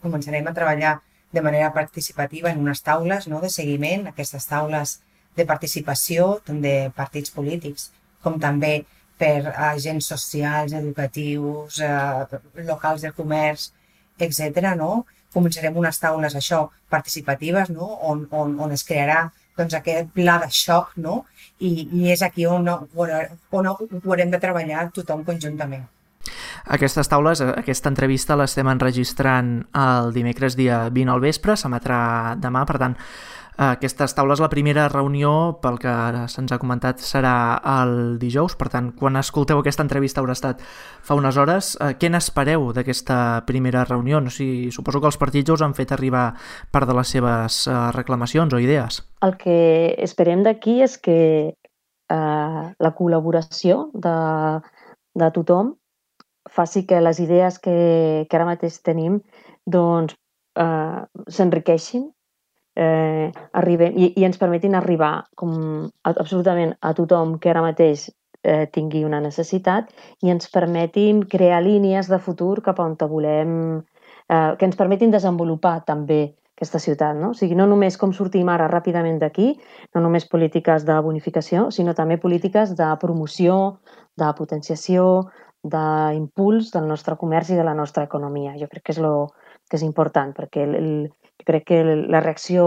començarem a treballar de manera participativa en unes taules, no?, de seguiment, aquestes taules de participació tant de partits polítics com també per agents socials, educatius, eh, locals de comerç, etcètera, no? Començarem unes taules, això, participatives, no?, on, on, on es crearà doncs, aquest pla de xoc, no?, i, i és aquí on, on, on ho haurem de treballar tothom conjuntament. Aquestes taules, aquesta entrevista l'estem enregistrant el dimecres dia vint al vespre, s'emetrà demà, per tant, aquestes taules, la primera reunió, pel que se'ns ha comentat, serà el dijous, per tant, quan escolteu aquesta entrevista haurà estat fa unes hores. Què n'espereu d'aquesta primera reunió? No sé, suposo que els partits us han fet arribar part de les seves reclamacions o idees. El que esperem d'aquí és que eh, la col·laboració de, de tothom faci que les idees que, que ara mateix tenim doncs, eh, s'enriqueixin eh, arribem, i, i ens permetin arribar com a, absolutament a tothom que ara mateix eh, tingui una necessitat i ens permetin crear línies de futur cap a on volem, eh, que ens permetin desenvolupar també aquesta ciutat, no? O sigui, no només com sortim ara ràpidament d'aquí, no només polítiques de bonificació, sinó també polítiques de promoció, de potenciació, d'impuls del nostre comerç i de la nostra economia. Jo crec que és, lo, que és important, perquè el, el, jo crec que la reacció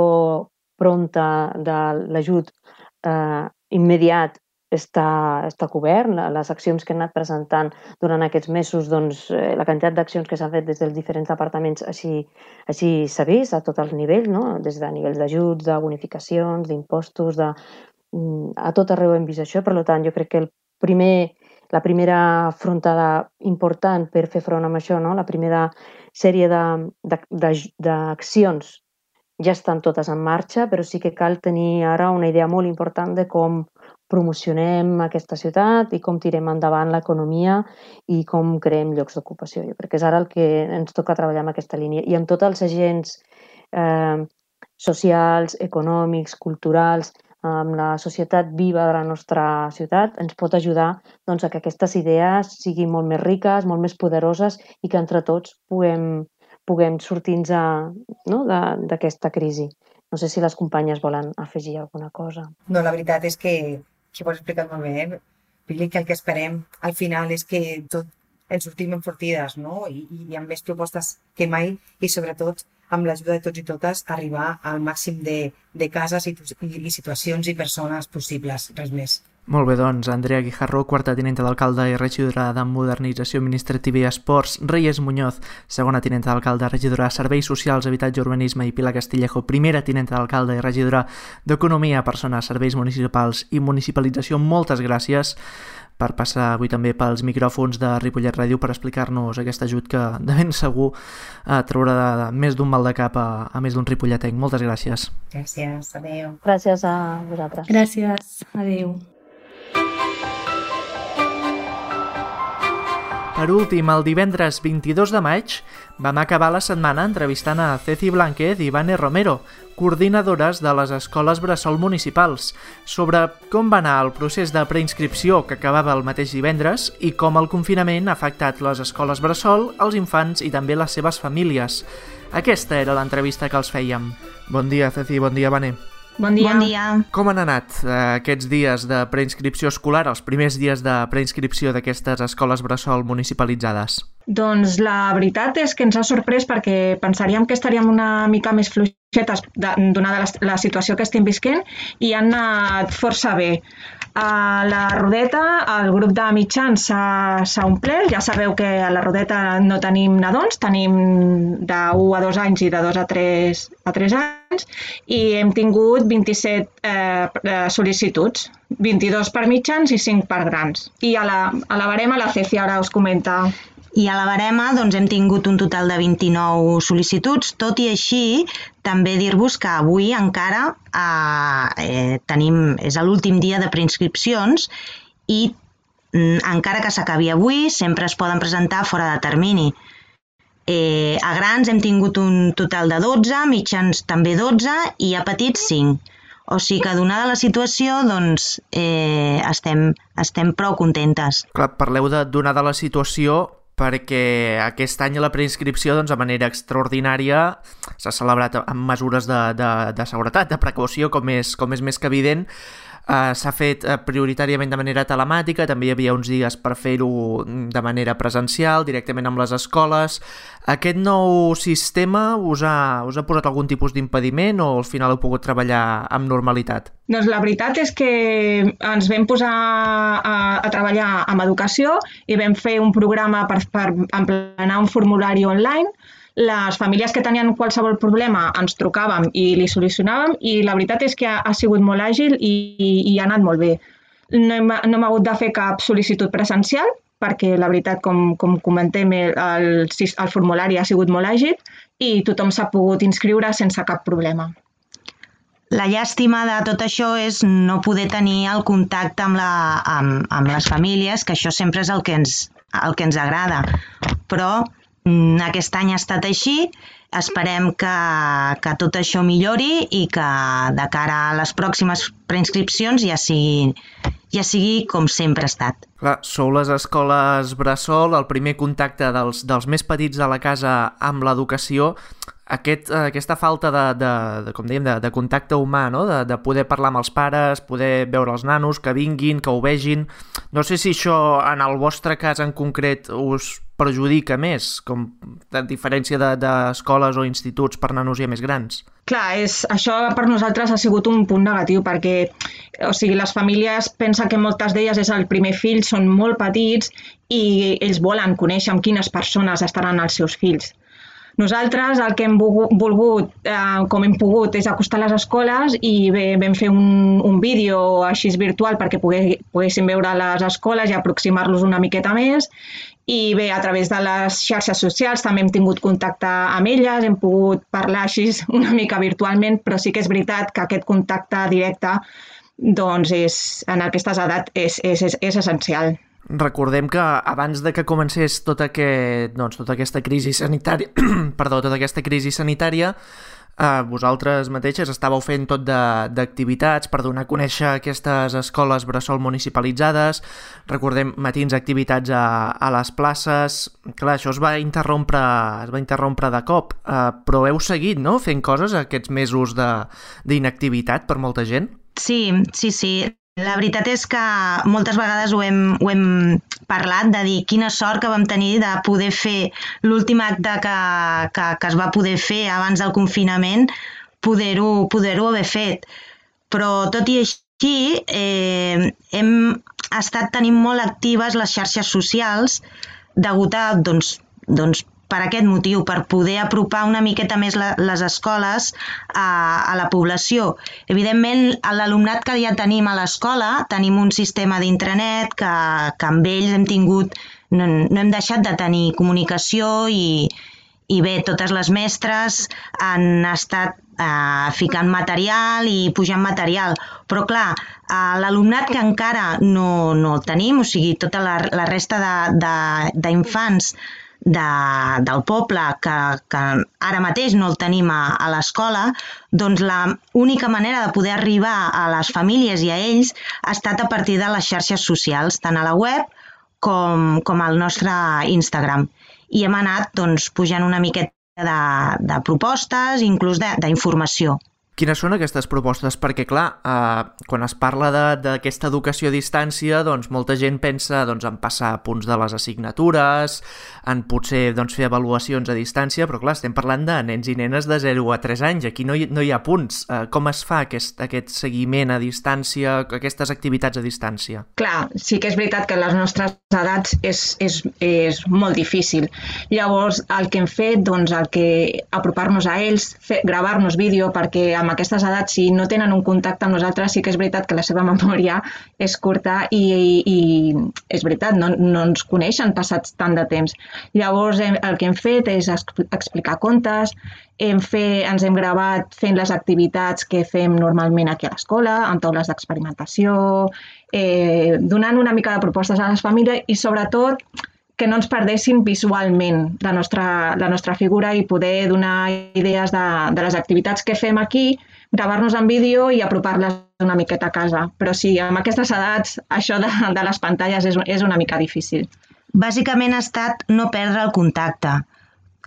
pronta de l'ajut eh, immediat està, està cobert. Les accions que hem anat presentant durant aquests mesos, doncs, la quantitat d'accions que s'han fet des dels diferents departaments així, així s'ha vist a tots els nivells, no? Des de nivells d'ajuts, de bonificacions, d'impostos, de, a tot arreu hem vist això, per tant, jo crec que el primer, la primera frontada important per fer front amb això, no? La primera sèrie d'accions ja estan totes en marxa, però sí que cal tenir ara una idea molt important de com promocionem aquesta ciutat i com tirem endavant l'economia i com creem llocs d'ocupació. Jo crec que és ara el que ens toca treballar en aquesta línia. I amb tots els agents eh, socials, econòmics, culturals, amb la societat viva de la nostra ciutat, ens pot ajudar doncs, a que aquestes idees siguin molt més riques, molt més poderoses i que entre tots puguem, puguem sortir-nos no, d'aquesta crisi. No sé si les companyes volen afegir alguna cosa. No, la veritat és que, que ho has explicat molt bé, eh? Vull dir que el que esperem al final és que tot ens sortim enfortides, no? I, i amb més propostes que mai i sobretot amb l'ajuda de tots i totes arribar al màxim de, de cases i, i situacions i persones possibles, res més. Molt bé, doncs, Andrea Guijarro, quarta tinenta d'alcalde i regidora de Modernització Administrativa i Esports, Reyes Muñoz, segona tinenta d'alcalde, regidora de Serveis Socials, Habitatge i Urbanisme, i Pilar Castillejo, primera tinenta d'alcalde i regidora d'Economia, Persones, Serveis Municipals i Municipalització. Moltes gràcies per passar avui també pels micròfons de Ripollet Ràdio per explicar-nos aquest ajut que de ben segur eh, traurà de, de, més d'un mal de cap a, a més d'un ripolletenc. Moltes gràcies. Gràcies, adeu. Gràcies a vosaltres. Gràcies, adeu. Per últim, el divendres vint-i-dos de maig vam acabar la setmana entrevistant a Ceci Blanquez i Vane Romero, coordinadores de les escoles bressol municipals, sobre com va anar el procés de preinscripció que acabava el mateix divendres i com el confinament ha afectat les escoles bressol, els infants i també les seves famílies. Aquesta era l'entrevista que els fèiem. Bon dia, Ceci, bon dia, Vane. Bon dia. Bon dia. Com han anat eh, aquests dies de preinscripció escolar, els primers dies de preinscripció d'aquestes escoles bressol municipalitzades? Doncs la veritat és que ens ha sorprès perquè pensaríem que estaríem una mica més fluixetes donada la, la situació que estem visquent i han anat força bé. A la Rodeta el grup de mitjans s'ha omplert, ja sabeu que a la Rodeta no tenim nadons, tenim d'u a dos anys i de dos a tres anys i hem tingut vint-i-set eh, sol·licituds, vint-i-dos per mitjans i cinc per grans. I a la, a la barema la Ceci ara us comenta. I a la barema doncs, hem tingut un total de vint-i-nou sol·licituds, tot i així també dir-vos que avui encara eh, tenim, és l'últim dia de preinscripcions i mm, encara que s'acabi avui sempre es poden presentar fora de termini. Eh, a grans hem tingut un total de dotze, mitjans també dotze i a petits cinc. O sigui que donada la situació doncs, eh, estem, estem prou contentes. Clar, parleu de donada la situació perquè aquest any la preinscripció doncs, de manera extraordinària s'ha celebrat amb mesures de, de, de seguretat, de precaució, com és, com és més que evident. Uh, s'ha fet uh, prioritàriament de manera telemàtica, també hi havia uns dies per fer-ho de manera presencial, directament amb les escoles. Aquest nou sistema us ha, us ha posat algun tipus d'impediment o al final heu pogut treballar amb normalitat? Doncs la veritat és que ens vam posar a, a treballar amb educació i vam fer un programa per, per emplenar un formulari online. Les famílies que tenien qualsevol problema ens trucàvem i li solucionàvem i la veritat és que ha, ha sigut molt àgil i, i, i ha anat molt bé. No hem, no hem hagut de fer cap sol·licitud presencial perquè la veritat, com, com comentem, el, el, el formulari ha sigut molt àgil i tothom s'ha pogut inscriure sense cap problema. La llàstima de tot això és no poder tenir el contacte amb, la, amb, amb les famílies, que això sempre és el que ens, el que ens agrada, però aquest any ha estat així, esperem que, que tot això millori i que de cara a les pròximes preinscripcions ja sigui, ja sigui com sempre ha estat. Clar, sou les escoles bressol, el primer contacte dels, dels més petits de la casa amb l'educació. Aquest, aquesta falta de, de, de, com dèiem, de, de contacte humà, no? de, de poder parlar amb els pares, poder veure els nanos, que vinguin, que ho vegin. No sé si això, en el vostre cas en concret, us perjudica més, com a diferència d'escoles de, o instituts per nanos ja més grans. Clar, és, això per nosaltres ha sigut un punt negatiu perquè o sigui, les famílies pensen que moltes d'elles és el primer fill, són molt petits i ells volen conèixer amb quines persones estaran els seus fills. Nosaltres el que hem volgut, eh, com hem pogut, és acostar les escoles i bé, vam fer un, un vídeo així virtual perquè pogués, poguéssim veure les escoles i aproximar-los una miqueta més. I bé, a través de les xarxes socials també hem tingut contacte amb elles, hem pogut parlar així una mica virtualment, però sí que és veritat que aquest contacte directe doncs és, en aquestes edats és, és, és, és essencial. Recordem que abans de que comencés tota, aquest, doncs, tota aquesta crisi sanitària, perdó, tota aquesta crisi sanitària, eh, vosaltres mateixes estàveu fent tot d'activitats per donar a conèixer aquestes escoles bressol municipalitzades, recordem matins activitats a, a les places. Clar, això es va interrompre, es va interrompre de cop, eh, però heu seguit, no?, fent coses aquests mesos d'inactivitat per molta gent? Sí, sí, sí. La veritat és que moltes vegades ho hem, ho hem parlat, de dir quina sort que vam tenir de poder fer l'últim acte que, que, que es va poder fer abans del confinament, poder-ho poder-ho haver fet. Però tot i així eh, hem estat tenint molt actives les xarxes socials degut a, doncs, doncs, per aquest motiu, per poder apropar una miqueta més la, les escoles a, a la població. Evidentment, l'alumnat que ja tenim a l'escola, tenim un sistema d'intranet que, que amb ells hem tingut, no, no hem deixat de tenir comunicació i, i bé, totes les mestres han estat eh, ficant material i pujant material. Però clar, eh, l'alumnat que encara no, no el tenim, o sigui, tota la, la resta d'infants De, del poble que, que ara mateix no el tenim a, a l'escola, doncs l'única manera de poder arribar a les famílies i a ells ha estat a partir de les xarxes socials, tant a la web com, com al nostre Instagram. I hem anat doncs, pujant una miqueta de, de propostes, inclús d'informació. Quines són aquestes propostes? Perquè, clar, eh, quan es parla d'aquesta educació a distància, doncs molta gent pensa doncs, en passar punts de les assignatures, en potser doncs, fer avaluacions a distància, però clar, estem parlant de nens i nenes de zero a tres anys, aquí no hi, no hi ha punts. Eh, com es fa aquest, aquest seguiment a distància, aquestes activitats a distància? Clar, sí que és veritat que les nostres edats és, és, és molt difícil. Llavors, el que hem fet, doncs, el que apropar-nos a ells, fer, gravar-nos vídeo, perquè amb aquestes edats, si no tenen un contacte amb nosaltres, sí que és veritat que la seva memòria és curta i, i, i és veritat, no, no ens coneixen passats tant de temps. Llavors, hem, el que hem fet és explicar contes, hem fet, ens hem gravat fent les activitats que fem normalment aquí a l'escola, amb taules d'experimentació, eh, donant una mica de propostes a les famílies i, sobretot, que no ens perdessin visualment la nostra, la nostra figura i poder donar idees de, de les activitats que fem aquí, gravar-nos en vídeo i apropar-les una miqueta a casa. Però sí, amb aquestes edats, això de, de les pantalles és, és una mica difícil. Bàsicament ha estat no perdre el contacte.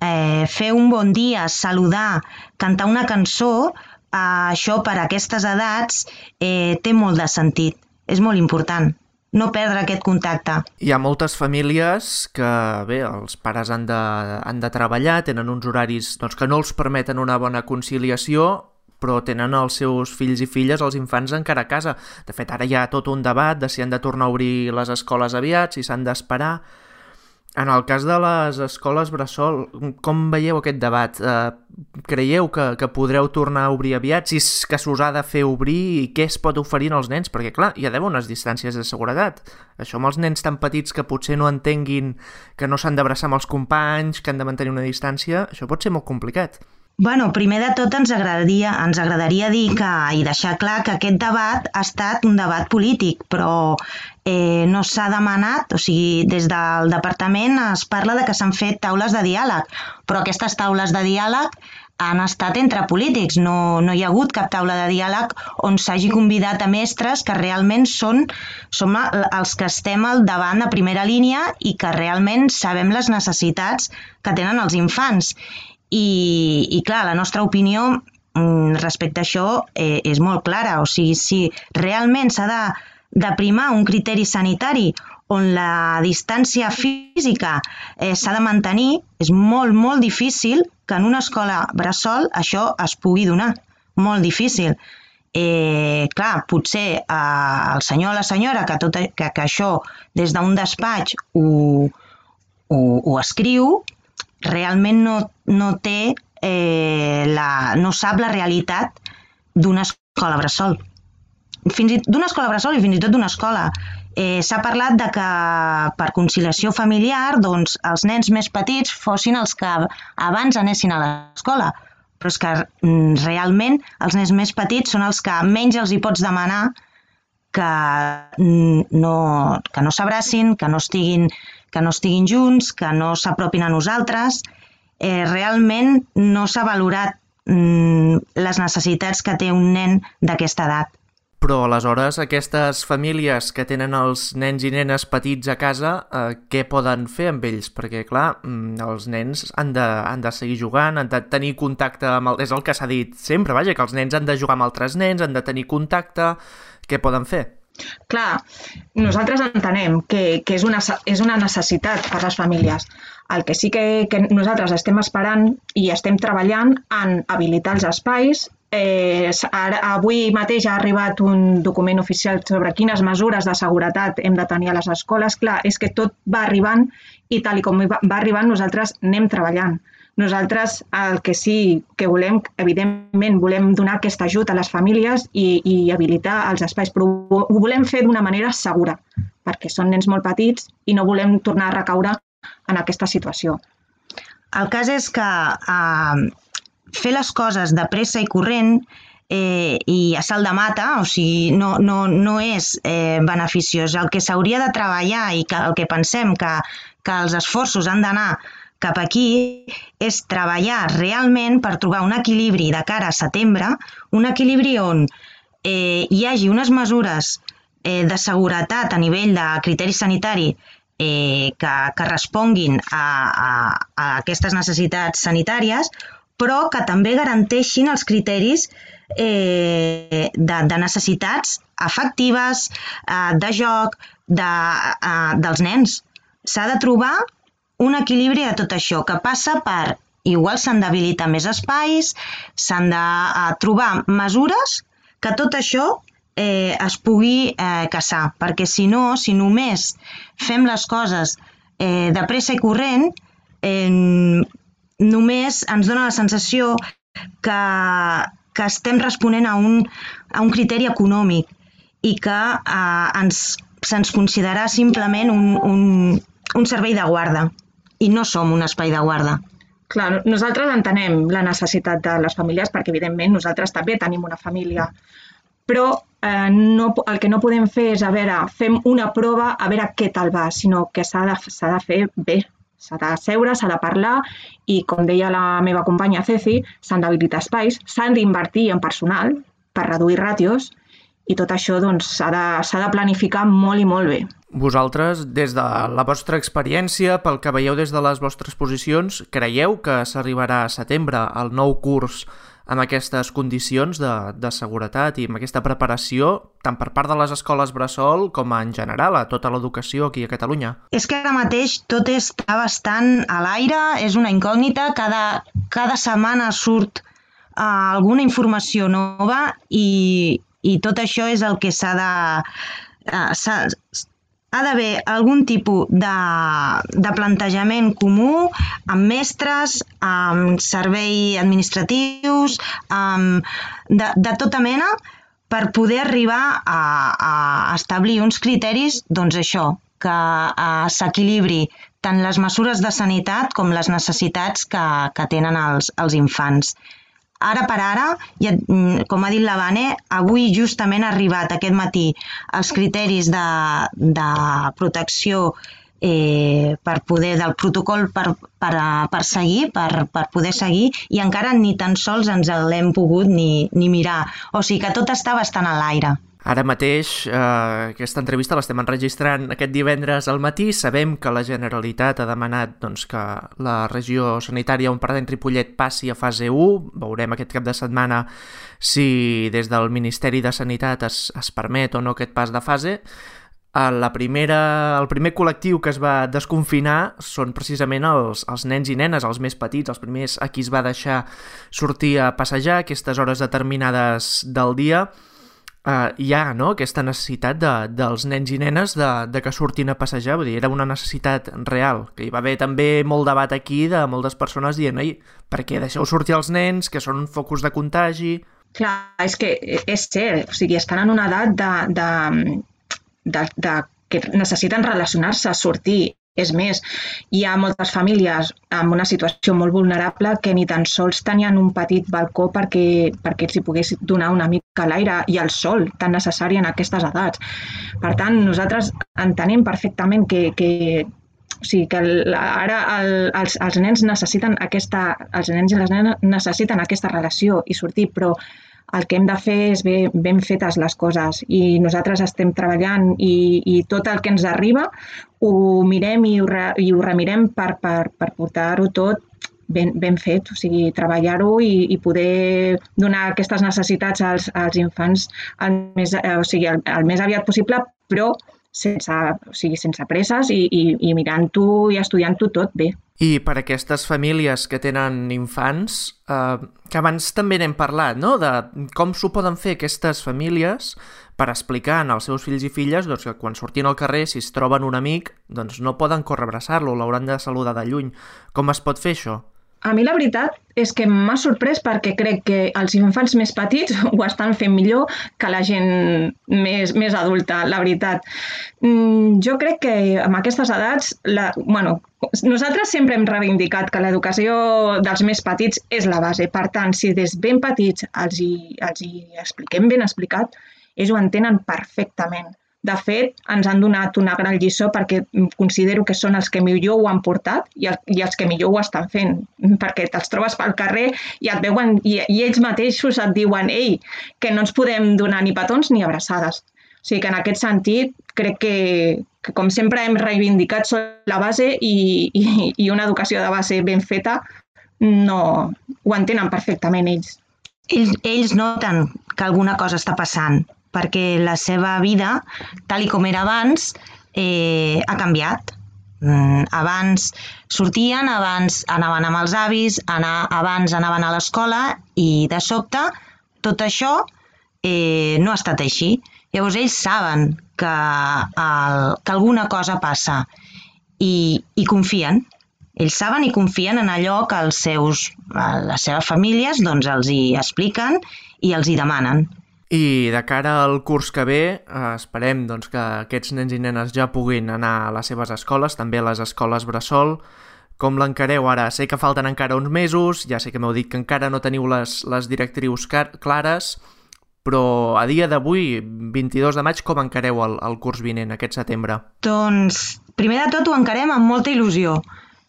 Eh, fer un bon dia, saludar, cantar una cançó, eh, això per a aquestes edats eh, té molt de sentit. És molt important. No perdre aquest contacte. Hi ha moltes famílies que, bé, els pares han de, han de treballar, tenen uns horaris doncs, que no els permeten una bona conciliació, però tenen els seus fills i filles, els infants, encara a casa. De fet, ara hi ha tot un debat de si han de tornar a obrir les escoles aviat, si s'han d'esperar. En el cas de les escoles bressol, com veieu aquest debat? Eh, creieu que, que podreu tornar a obrir aviat? Si és que s'us ha de fer obrir i què es pot oferir als nens? Perquè, clar, hi ha d'haver unes distàncies de seguretat. Això amb els nens tan petits que potser no entenguin que no s'han d'abraçar amb els companys, que han de mantenir una distància, això pot ser molt complicat. Bueno, primer de tot ens agradaria, ens agradaria dir que, i deixar clar que aquest debat ha estat un debat polític, però eh, no s'ha demanat, o sigui, des del departament es parla de que s'han fet taules de diàleg, però aquestes taules de diàleg han estat entre polítics, no, no hi ha hagut cap taula de diàleg on s'hagi convidat a mestres que realment són, som els que estem al davant a primera línia i que realment sabem les necessitats que tenen els infants. I, i clar, la nostra opinió respecte a això eh, és molt clara. O sigui, si realment s'ha de, de primar un criteri sanitari on la distància física eh, s'ha de mantenir, és molt, molt difícil que en una escola bressol això es pugui donar. Molt difícil. Eh, clar, potser eh, el senyor o la senyora que, tot, que, que això des d'un despatx ho, ho, ho escriu, realment no, no té, eh, la, no sap la realitat d'una escola bressol. Fins i d'una escola bressol i fins i tot d'una escola. Eh, S'ha parlat de que per conciliació familiar doncs, els nens més petits fossin els que abans anessin a l'escola, però és que mm, realment els nens més petits són els que menys els hi pots demanar que no, que no s'abracin, que no estiguin, que no estiguin junts, que no s'apropin a nosaltres. Eh, realment no s'ha valorat mm, les necessitats que té un nen d'aquesta edat. Però aleshores aquestes famílies que tenen els nens i nenes petits a casa, eh, què poden fer amb ells? Perquè, clar, els nens han de, han de seguir jugant, han de tenir contacte amb... El, és el que s'ha dit sempre, vaja, que els nens han de jugar amb altres nens, han de tenir contacte... Què poden fer? Clar, nosaltres entenem que, que és, una, és una necessitat per les famílies. El que sí que, que nosaltres estem esperant i estem treballant en habilitar els espais. Eh, ara, avui mateix ha arribat un document oficial sobre quines mesures de seguretat hem de tenir a les escoles. Clar, és que tot va arribant i tal i com va arribant nosaltres anem treballant. Nosaltres el que sí que volem, evidentment, volem donar aquest ajut a les famílies i, i habilitar els espais, però ho volem fer d'una manera segura, perquè són nens molt petits i no volem tornar a recaure en aquesta situació. El cas és que eh, fer les coses de pressa i corrent eh, i a salt de mata, o sigui, no, no, no és eh, beneficiós. El que s'hauria de treballar i que, el que pensem que, que els esforços han d'anar cap aquí és treballar realment per trobar un equilibri de cara a setembre, un equilibri on eh, hi hagi unes mesures eh, de seguretat a nivell de criteri sanitari eh, que, que responguin a, a, a aquestes necessitats sanitàries, però que també garanteixin els criteris eh, de, de necessitats afectives, eh, de joc, de, eh, dels nens. S'ha de trobar un equilibri de tot això, que passa per, igual s'han d'habilitar més espais, s'han de uh, trobar mesures que tot això eh, es pugui eh, caçar, perquè si no, si només fem les coses eh, de pressa i corrent, eh, només ens dona la sensació que, que estem responent a un, a un criteri econòmic i que eh, ens, se'ns considerarà simplement un, un, un servei de guarda. I no som un espai de guarda. Clar, nosaltres entenem la necessitat de les famílies perquè, evidentment, nosaltres també tenim una família. Però eh, no, el que no podem fer és, a veure, fem una prova a veure què tal va, sinó que s'ha de, s'ha de fer bé. S'ha de seure, s'ha de parlar i, com deia la meva companya Ceci, s'han d'habilitar espais, s'han d'invertir en personal per reduir ràtios i tot això doncs, s'ha de, s'ha de planificar molt i molt bé. Vosaltres, des de la vostra experiència, pel que veieu des de les vostres posicions, creieu que s'arribarà a setembre al nou curs amb aquestes condicions de, de seguretat i amb aquesta preparació, tant per part de les escoles bressol com en general a tota l'educació aquí a Catalunya? És que ara mateix tot està bastant a l'aire, és una incògnita, cada, cada setmana surt uh, alguna informació nova i, i tot això és el que s'ha de... Uh, s'ha, ha d'haver algun tipus de, de plantejament comú amb mestres, amb serveis administratius, amb, de, de tota mena, per poder arribar a, a establir uns criteris, doncs això, que uh, s'equilibri tant les mesures de sanitat com les necessitats que, que tenen els, els infants. Ara per ara, ja, com ha dit la Vane, avui justament ha arribat aquest matí els criteris de, de protecció eh, per poder, del protocol per, per, per seguir, per, per poder seguir, i encara ni tan sols ens l'hem pogut ni, ni mirar. O sigui que tot està bastant a l'aire. Ara mateix, eh, aquesta entrevista l'estem enregistrant aquest divendres al matí. Sabem que la Generalitat ha demanat doncs, que la regió sanitària on pertany Ripollet passi a fase u. Veurem aquest cap de setmana si des del Ministeri de Sanitat es, es permet o no aquest pas de fase. La primera, el primer col·lectiu que es va desconfinar són precisament els, els nens i nenes, els més petits, els primers a qui es va deixar sortir a passejar a aquestes hores determinades del dia. Uh, hi ha, no?, aquesta necessitat de, dels nens i nenes de, de que surtin a passejar, vull dir, era una necessitat real, que hi va haver també molt debat aquí de moltes persones dient, oi, per què deixeu sortir els nens, que són focus de contagi... Clar, és que és cert, o sigui, estan en una edat de, de, de, de que necessiten relacionar-se, sortir. És més, hi ha moltes famílies amb una situació molt vulnerable que ni tan sols tenien un petit balcó perquè, perquè els hi pogués donar una mica l'aire i el sol tan necessari en aquestes edats. Per tant, nosaltres entenem perfectament que, que, o sigui, que el, ara el, els, els nens necessiten aquesta, els nens i les nenes necessiten aquesta relació i sortir, però el que hem de fer és ben, ben fetes les coses i nosaltres estem treballant i, i tot el que ens arriba ho mirem i ho, re, i ho remirem per, per, per portar-ho tot ben, ben fet, o sigui, treballar-ho i, i poder donar aquestes necessitats als, als infants el més, o sigui, el, el més aviat possible, però sense, o sigui, sense presses i, i, i mirant-ho i estudiant-ho tot bé. I per aquestes famílies que tenen infants, eh, que abans també n'hem parlat, no?, de com s'ho poden fer aquestes famílies per explicar als seus fills i filles doncs, que quan surtin al carrer, si es troben un amic, doncs no poden córrer a abraçar-lo, l'hauran de saludar de lluny. Com es pot fer això? A mi la veritat és que m'ha sorprès perquè crec que els infants més petits ho estan fent millor que la gent més, més adulta, la veritat. Jo crec que amb aquestes edats, la, bueno, nosaltres sempre hem reivindicat que l'educació dels més petits és la base. Per tant, si des ben petits els hi, els hi expliquem ben explicat, ells ho entenen perfectament. De fet, ens han donat una gran lliçó perquè considero que són els que millor ho han portat i, el, i els que millor ho estan fent, perquè te'ls trobes pel carrer i et veuen i, i ells mateixos et diuen ei, que no ens podem donar ni petons ni abraçades. O sigui que en aquest sentit crec que, que com sempre hem reivindicat són la base i, i, i una educació de base ben feta no ho entenen perfectament ells. Ells, ells noten que alguna cosa està passant, perquè la seva vida, tal com era abans, eh, ha canviat. Mm, abans sortien, abans anaven amb els avis, anar, abans anaven a l'escola i de sobte tot això eh, no ha estat així. Llavors ells saben que, el, que alguna cosa passa i, i confien. Ells saben i confien en allò que els seus, les seves famílies doncs, els hi expliquen i els hi demanen. I de cara al curs que ve, eh, esperem doncs, que aquests nens i nenes ja puguin anar a les seves escoles, també a les escoles bressol. Com l'encareu ara? Sé que falten encara uns mesos, ja sé que m'heu dit que encara no teniu les, les directrius clares, però a dia d'avui, vint-i-dos de maig, com encareu el, el curs vinent, aquest setembre? Doncs, primer de tot, ho encarem amb molta il·lusió.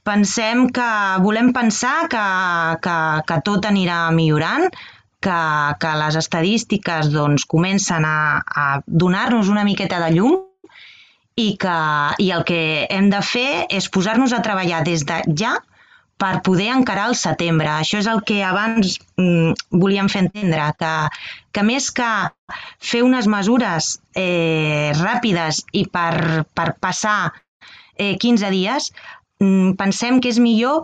Pensem que, volem pensar que, que, que tot anirà millorant, que, que les estadístiques doncs, comencen a, a donar-nos una miqueta de llum i, que, i el que hem de fer és posar-nos a treballar des de ja per poder encarar el setembre. Això és el que abans mm, volíem fer entendre, que, que més que fer unes mesures eh, ràpides i per, per passar eh, quinze dies, mm, pensem que és millor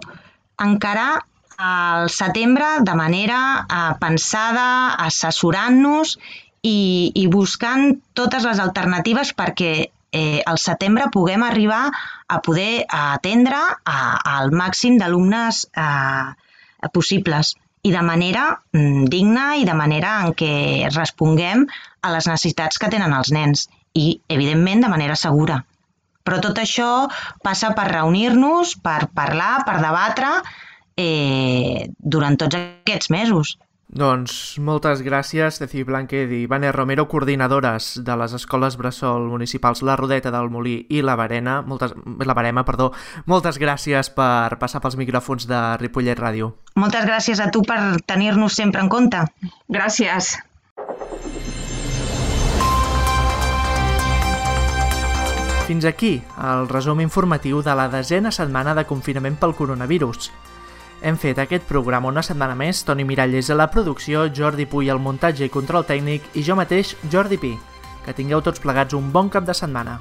encarar al setembre de manera eh, pensada, assessorant-nos i, i buscant totes les alternatives perquè eh, al setembre puguem arribar a poder atendre a, al màxim d'alumnes eh, possibles i de manera mm, digna i de manera en què responguem a les necessitats que tenen els nens i, evidentment, de manera segura. Però tot això passa per reunir-nos, per parlar, per debatre, Eh, durant tots aquests mesos. Doncs moltes gràcies, Ceci Blanquet i Vane Romero, coordinadores de les escoles bressol municipals La Rodeta del Molí i La Verema. Moltes, la Verema, perdó. Moltes gràcies per passar pels micròfons de Ripollet Ràdio. Moltes gràcies a tu per tenir-nos sempre en compte. Gràcies. Fins aquí el resum informatiu de la desena setmana de confinament pel coronavirus. Hem fet aquest programa una setmana més, Toni Miralles a la producció, Jordi Puy al muntatge i control tècnic i jo mateix, Jordi Pi. Que tingueu tots plegats un bon cap de setmana.